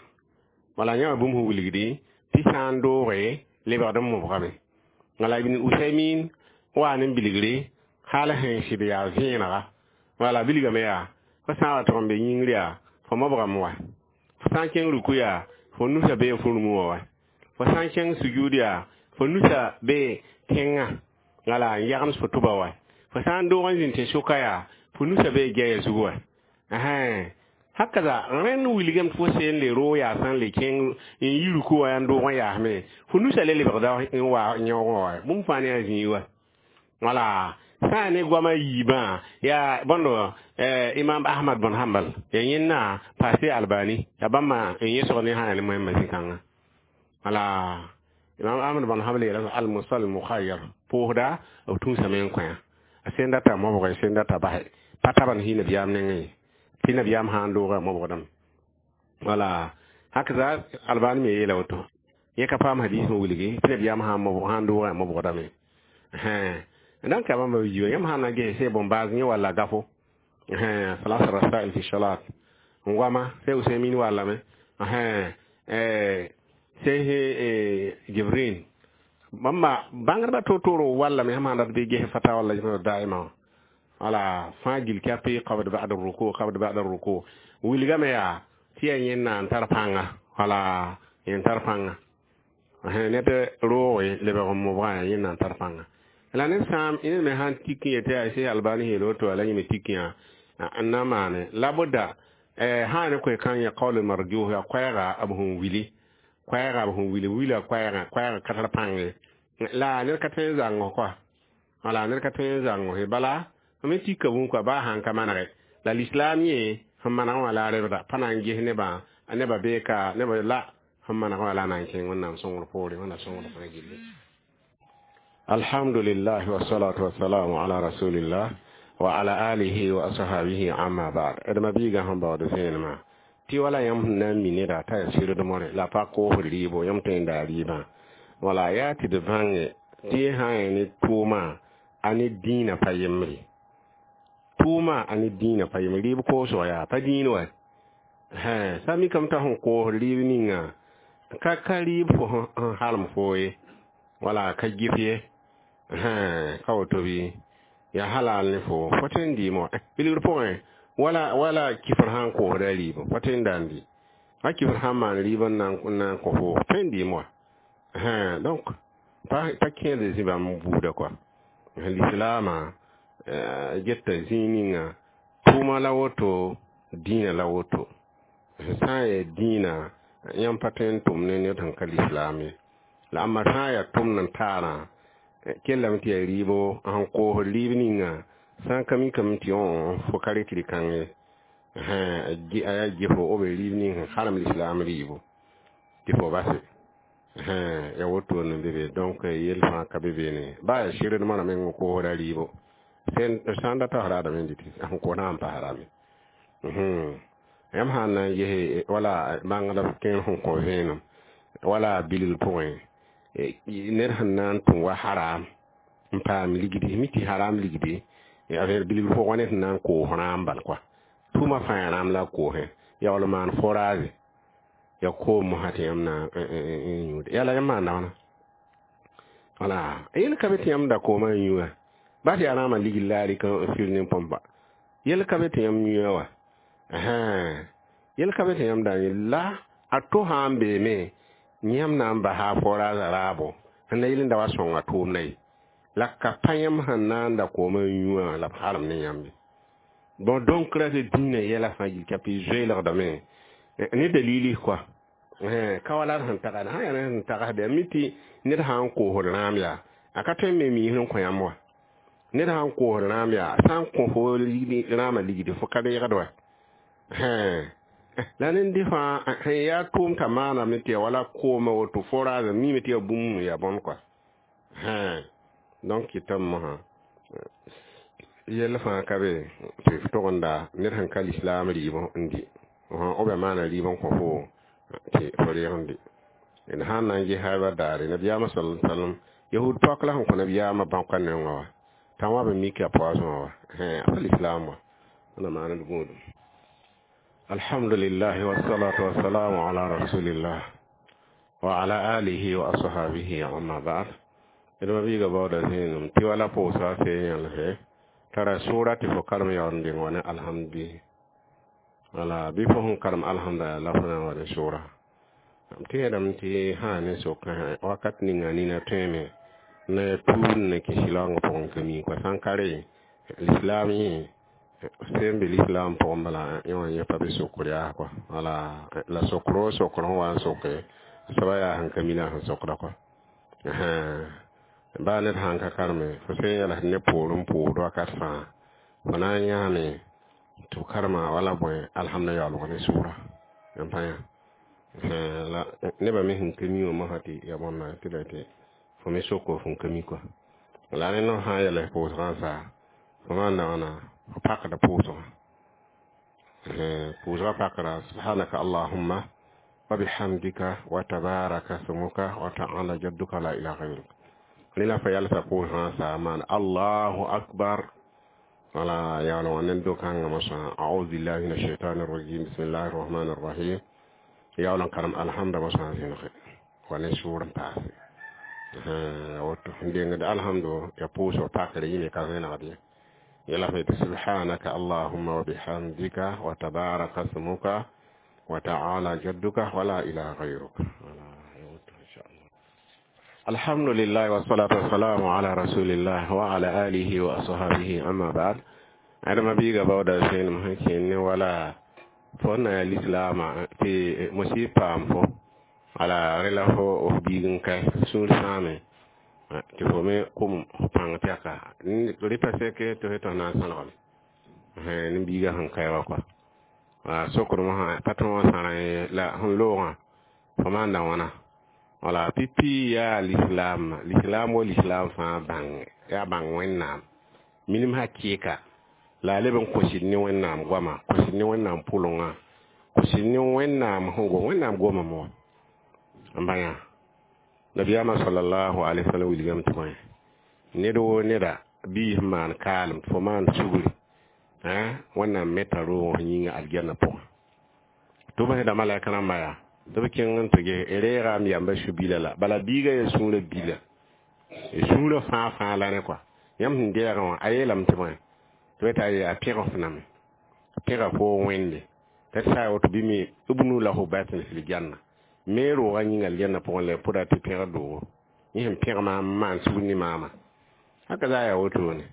wala yã wã bũmb sẽn wilgdi tɩ sã n dooge lebgd n mobgame wala Ibn Usaymin waa ne bilgre hal sẽn sɩd yaa vẽenega wala bilgame yaa fo sã n wa tʋg n be yĩngr yaa fo mobgame wa fo sã n kẽng ruku yaa fo nusa bee fo rũmũ wã wa fo sã n kẽng sujud yaa fo nusa bee tẽngã wala n yagms fo tʋba wa fo sã n doog n zĩnd tɩ sʋka yaa fo nusa bee gɛya zug wa hakaza rẽnd wilgame tɩ fo seen le roog yaa sã n le kẽng n yi ruku wã yaa n doog n yaasme fo nusa le lebgda n wa yõog wã wa bũmb fãa ne yaa zĩig wa wala sã ne goamã yiibã yaa bõndo Imam Ahmad bn Hanbal ya yẽnna paase Albani ya bãmba n yẽsg ne sã yaa ne moẽmba zĩ-kãngã wala Imam Ahmad bn Hanbal yeela al-musalli mukhayyar pʋʋsda b tũusame n kõ a sẽn data mobge sẽn data basɛ pa tab n sɩ nabiyaam nengẽ ye tɩ nabiyaam sã n doogã mobgdame wala hakaza Albani me yeela woto yẽ ka paam hadis n wilgi tɩ nabiyaam sã n doogã mobgdame donc bãmba yiibã yãmb sã n na ges se bõn-baas yẽ walla gafo salasa rasail fi salat n goama se Usaymin wallame se Jibrin bãmba bãngdbã to-tooro wallame sãm sãn dat bɩ ges fatawa lajna daima wala fãa gil kapi qabd ba'd ruku qabd ba'd ruku wilgame yaa tɩ yaa yẽnna n tar pãnga wala yẽn tar pãnga ned rooge lebg n mobgã yaa yẽnna n tar pãnga la ned sã ned me sãn tik n yetɩ yaa Sɛs Albani yeel woto la yẽ me tik yã N na n maane la bʋda sã ne koe kãng ya kaool marjuh yaa koɛɛga b sẽn wili, koɛɛga b sẽn wili, wila koɛɛgã, koɛɛgã ka tar pãng ye. La ned ka tõe n zãng kɔa, wala ned ka tõe n zãng ye. Bala me tika bũmb kɔa, baa sãn ka manege la lislaam yẽ sẽn maneg wã la a rebda pa na n ges nebã, nebã bee ka nebã la sẽn maneg wã la a na n kẽng Wẽnnaam sõngr poore, Wẽnna sõngr fãa gilli. Alhamdulillah, wassalatu wassalamu ala rasulillah wa ala alihi wa ashabihi, amma ba'd. D mabiigã sẽn baood zẽenemã tɩ wala yãmb sẽn na n mi neda t'a yaa sɩrdmore la pa koosd rɩɩbo, yãmb tõe n daa rɩɩbã. Wala yaa tɩ d bãnge tɩ yẽ sã n yaa ne tʋʋma a ne dĩinã pa yembre, tʋʋma a ne dĩinã pa yembre. Rɩɩb koosg yaa pa dĩin wa. Sã mikame t'a sẽn koosd rɩɩb ninga ka rɩɩb fo sẽn halem foo ye, wala ka gɩf ye, ka woto bɩ yaa halal ne fo, fo tõe n dɩɩmã wa bilgr pʋgẽ. Wala kifr sã n koosda rɩɩb, fo tõe n da n dɩ. A kifr sã n maan rɩɩb n na n kõ fo, tõe n dɩɩm wa. Donc pa kẽed zĩ bãmb buuda kɔa. Lislaamã geta zĩig ninga tʋʋma la woto, dĩinã la woto. Sã n yaa dĩinã, yãmb pa tõe n tʋm ne ned sẽn ka lislaam ye. La ãmba sã n yaa tʋmd n taarã, kellame tɩ yaa rɩɩbo sẽn koosd rɩɩb ninga, sã n ka mikame tɩ fo ka rɩk rɩ-kãng ye, a yaa gefo b rɩɩb ning sẽn halem lislaam rɩɩbo tɩ fo base, ya woto n be be. Donc yell fãa ka be beene, baa yaa sɩrdmã ra meng n koosda rɩɩbo, sã n data raadame n dɩtɩ sẽn koos na n pasrame. Yãmb sã n na n ges wala bãngd kẽer sẽn kõ vẽenem wala bilgr pʋgẽ, ned sẽn na n tʋm wa haram n paam ligdi, mi tɩ haram ligdi bilgr pʋgẽ wa ned sẽn na n koos rãam bal kɔa, tʋʋma fãa yaa rãam la a koosẽ, yaool n maan forage ya koom mosã tɩ yãmb na n yũude. Yaa la yãmb maanda wãna? Wala yel ka be tɩ yãmb da koomã n yũ wã, bas yaa rãamã ligd la a rɩk n fir ne põmpa. Yel ka be tɩ yãmb yũa wa, yel ka be tɩ yãmb da yẽ la a to sã n beeme, yãmb na n basa a forage raabo sẽn na yel n da wa sõnga tʋʋmdã ye. La ka pa yãmb sẽn na n da koomã n yũ wã la b halem ne yãmb ye. Bon, donc ra tɩ dĩinã yɛla fãa yil tɩ zoeelgdame ne dalili kɔa, ka wala d sẽn tagsd sã yaa sẽn tagsd mi tɩ ned sã n koosd rãam yaa a ka tõe n me miis n kõ yãmb wa. Ned sã n koosd rãam yaa sã n kõ fo rãamã ligdi, fo ka reegd wa. La ned fãa sẽn yaa tʋʋm t'a maaname tɩ ya wala koomã woto forage, mime tɩ yaa bũmb yaa bõn kɔa. Donc kɩtame mosã yɛl fãa ka be tɩ f tog n da ned sẽn ka lislaam rɩɩb n dɩ, b yaa maana rɩɩb n kõ fo tɩ fo reeg n dɩ. D sã n na n ges ba daare nabiyaamã sal sallam, yahud pɔk la sẽn kõ nabiyaamã bãoka nengã wa t'a wã b mik a poasẽ wa, a pa lislaam wa. Wẽnna maan d gũudum. Alhamdulillah, wassalatu wassalamu ala rasulillah wa ala alihi wa ashabihi, amma ba'd. D mabiiga baooda zẽenem tɩ wala pʋʋsga fee yãlse tara sʋʋra tɩ fo karem yaool n deng wa ne alhamdi. Wala bɩ fo sẽn karem alhamda la fo na n wa ne sʋʋra. M tẽedame tɩ sã ne sokã wakat ninga nina tõeme ne tuud ne kẽ sɩlaoongã pʋgẽ ka mi kɔa. Sã n ka re lislaam yẽ sẽn be lislaam pʋgẽ bala, yẽ wã yẽ pa be sokr yaa kɔa. Wala la sokro sokr sẽn wa n soke soaba yaa sẽn ka mi la sẽn sokda kɔa. Baa ned sãn ka kareme, fo sẽn yɛls ne poor n pʋʋsd wakat fãa, fo na n yãame tɩ f karema wala bõe alhamda yaoolg ne sʋʋra n pa yã. La nebã me sẽn ka mi wã mosã tɩ ya bõnna tɩ la tɩ fo me soko fõn ka mi kɔa. La rẽ no sã n yɛls pʋʋsgã n saa, fo maanda wãna, fo pakda pʋʋsgã, pʋʋsgã pakra subhanaka allahumma wa bihamdika wa tabaraka smuka wa ta'ala jadduka la ilaha ghayruk. Rẽ la fa yalsa pʋʋsgã n saa maan allahu akbar. Wala yaool wã ned do-kãngã mosã a'udhu billahi min ashaitani rajim, bismillahi rrahmani rrahim, yaool n karem alhamda mosã zẽnege wa ne sʋʋr n paase woto n dengd alhamdo ya pʋʋsg pakre yĩme ka zẽnegd ye. Yɛla fa yetɩ subhanaka allahumma wa bihamdika wa tabaraka smuka wa ta'ala jadduka wa la ilaha ghayruk. Wala woto inchallah. Alhamdulillah, wassalatu wassalamu ala rasulillah wa ala alihi wa ashabihi, amma ba'd. Adama biiga baooda sẽenem sẽn kẽnd ne wala fo na yaa lislaamã tɩ mosɩ paam fo wala rẽ la fo f biig n kae sũur sãame tɩ fo me kʋm f pãng tɛka rɩta seke tɩ f tɩ f na n sãlgame ne biigã sẽn kae wa kɔa sokr mosã pa tõog n sãra ye la sẽn loogã fo maanda wãna wala pipi yaa lislaam lislaam wa lislaam fãa bãng yaa bãng wẽnnaam minim hakɩɩka la a leb n kõsd ne wẽnnaam goama kõsd ne wẽnnaam pʋlengã kõsd ne wẽnnaam sẽn gom wẽnnaam gomame wa n bã nabiyaamã sallallahu alaihi wasallam wilgame tɩ bõe ned woo neda bii sẽn maan kaalem tɩ fo maan sugri wẽnnaam meta roog f yĩnga aljanna pʋgẽ tɩ b sẽda malɛk rãmba yaa tɩ b kẽng n tɩ ges reega m yamba su-bila la bala biigã yaa sũurã bila sũurã fãa fãa la ne kɔa yãmb sẽn deegã wã a yeelame tɩ bõe tɩ b t'a a pẽg f name pẽga fo wẽnde t'a sa woto bɩ me ubnu lahu baytan fil janna me roogã yĩnga aljanna pʋgẽ la pʋda tɩ pẽg doogo yẽ sẽn pẽg maam n maan sugr ne maama haka za yaa wotone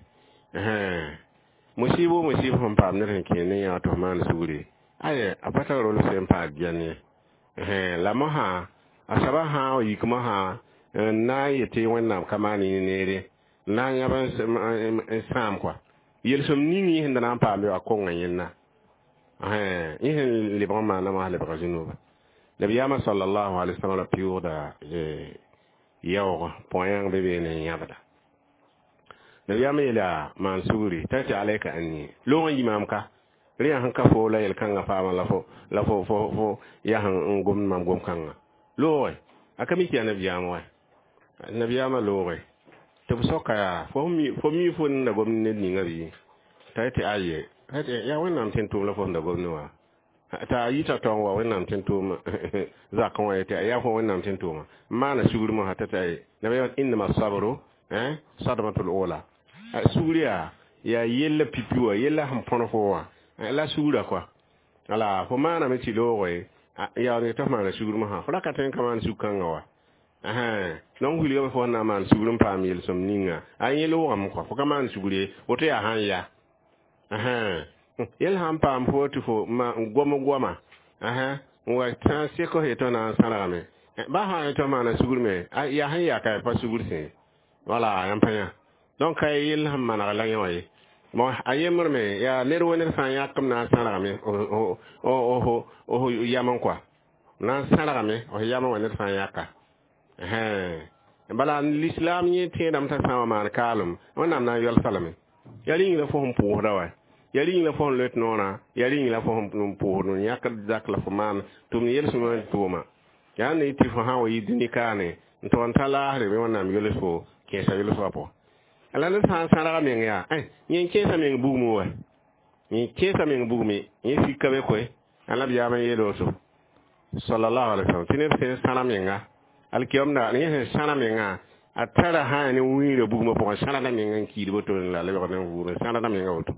musibo musibo sẽn paam ned sẽn kẽ ne yã tɩ f maan sugre aya a pa tar rol sẽn paas gɛn ye la mosã a soaba sã n yik mosã n na n yetɩ wẽnnaam ka maan yẽ neere n na n yãb n sãam kɔa yelsem ning yẽ sẽn da na n paam a konga yẽnna yẽ sẽn lebg n maana mosã lebga zũnuba nabiyaamã sallallahu alaihi wasallam la pɩʋʋgda yaoog põyãng be beene n yãbda nabiyaamã yeela maan sugri t'a tɩ alaika anni loog n yi maam ka rẽ yaa sẽn ka fo la yel-kãngã paama la fo la fo fo fo yaa sẽn n gomd mam gom-kãngã looge a ka mi tɩ yaa nabiyaam wa nabiyaamã looge tɩ b soka yaa fo mi fo n da gomd ned ninga bɩ t'a tɩ aye yaa wẽnnaam tẽn tʋʋm la fo sẽn da gomd wa t'a yita taoong wa wẽnnaam tẽn tʋʋm zakẽ wã yetɩ yaa fo wẽnnaam tẽn tʋʋma n maana sugr mosã t'a tɩ aye nabiyaam innama sabru sadmatul ula sugr yaa yaa yella pipi wa yella sẽn põd fo wã la sugra kɔa ala fo maaname tɩ looge yaa ne tɩ f maana sugr mosã fo ra ka tõe n ka maan sug-kãngã wa donc wilgame fo sẽn na n maan sugr n paam yel-sõm ninga a yẽ loogame kɔa fo ka maan sugr ye woto yaa sãn ya yel sãn paam fo tɩ fo gom goama n wa tã sek f yetɩ na n sãrgame ba sã n tɩ maana sugr me yaa sẽn yaa ka pa sugr sẽ wala yãmb pa yã donc ka yel sẽn maneg la yẽ wã ye bon a yembr me yaa ned wo ned sã n yãkm na n sãrgame f yam n kɔa na n sãrgame f yam wã ned sã n yãka bala l'islam yẽ tẽedame t'a sã n wa maan kaalem wẽnnaam na n yɔlsa lame yaa rĩng la fo sẽn pʋʋsda wa yaa rĩng la fo sẽn loet noorã yaa rĩng la fo sẽn pʋʋsd n yãkd zak la fo maan tʋm yel-sõma tʋʋma yaa ne tɩ fo sã n wa yi dũni kaane n tog n ta laasre bɩ wẽnnaam yols fo kẽesa yols wã pʋgẽ la ned sã n sãrga meng yaa yẽ n kẽesa meng bugmẽ wa yẽ kẽesa meng bugmẽ yẽ sika be koe a nabiyaamã yeel woto sallallahu alaihi wasallam tɩ ned sẽn sãra menga alkiyomda yẽ sẽn sãra mengã a tara sã ne wĩirã bugmã pʋgẽ sãrda meng n kiid woto la lebg ne vʋʋr sãrda menga woto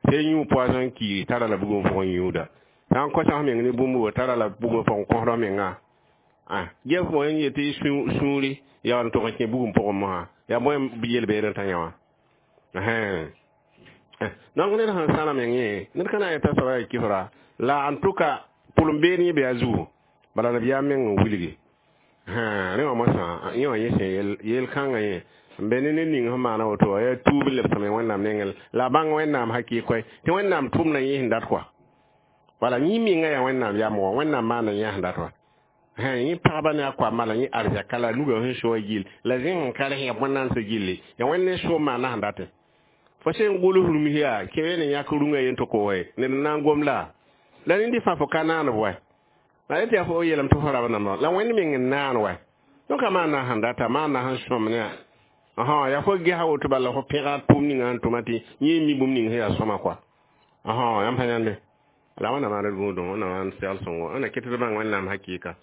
sẽn yũ poisson n kiiri tara la bugmã pʋgẽ yũuda sã n kõsa f meng ne bũmb wa tara la bugmã pʋgẽ kõsd menga gɛf bõe n yetɩ sũuri yaa n tʋg n kẽ bugum pʋgẽ mosã yaa bõe yel-beed n tã yã wã donc ned sẽn sãna meng yẽ ned ka na n yeta soaba yaa kifra la en tout cas pʋlem beed yẽ bɩ a zugu bala nabiyaam meng n wilgi rẽ wã mosã yẽ wã yẽ sẽn yel-kãngã yẽ n be ne ned ning sẽn maana woto wã yaa tuub n lebsame wẽnnaam nengẽ la a bãng wẽnnaam hakɩɩ koɛ tɩ wẽnnaam tʋmda yẽ sẽn dat kɔa wala yẽ menga yaa wẽnnaam yam wã wẽnnaam maanda yẽ sẽn dat wa yẽ pagba ne a koamã la yẽ arzɛka la nuga sẽn soa gill la zẽng n ka res yaa bõe-nansã gilli yaa wẽnd ne soom maana sẽn datẽ fo sẽn gʋls rũms yaa kẽ ne yãk rũngã yen tɩ ko ned n na n gom la la rẽnd fãa fo ka naanb wa la yetɩ yaa fo yeelame tɩ fo rab namba la wẽnd meng n naan wa donc a maana sẽn data maana sẽn sõm ne yaa fo gesa woto bala fo pẽga tʋʋm ninga sẽn tʋma tɩ yẽ mi bũmb ning sẽn yaa sõma kɔa yãmb sã yãnde la wẽnnaam maan d gũudẽ wẽnnaam maan segl sõngo wẽnna ket d bãng wẽnnaam hakɩɩka.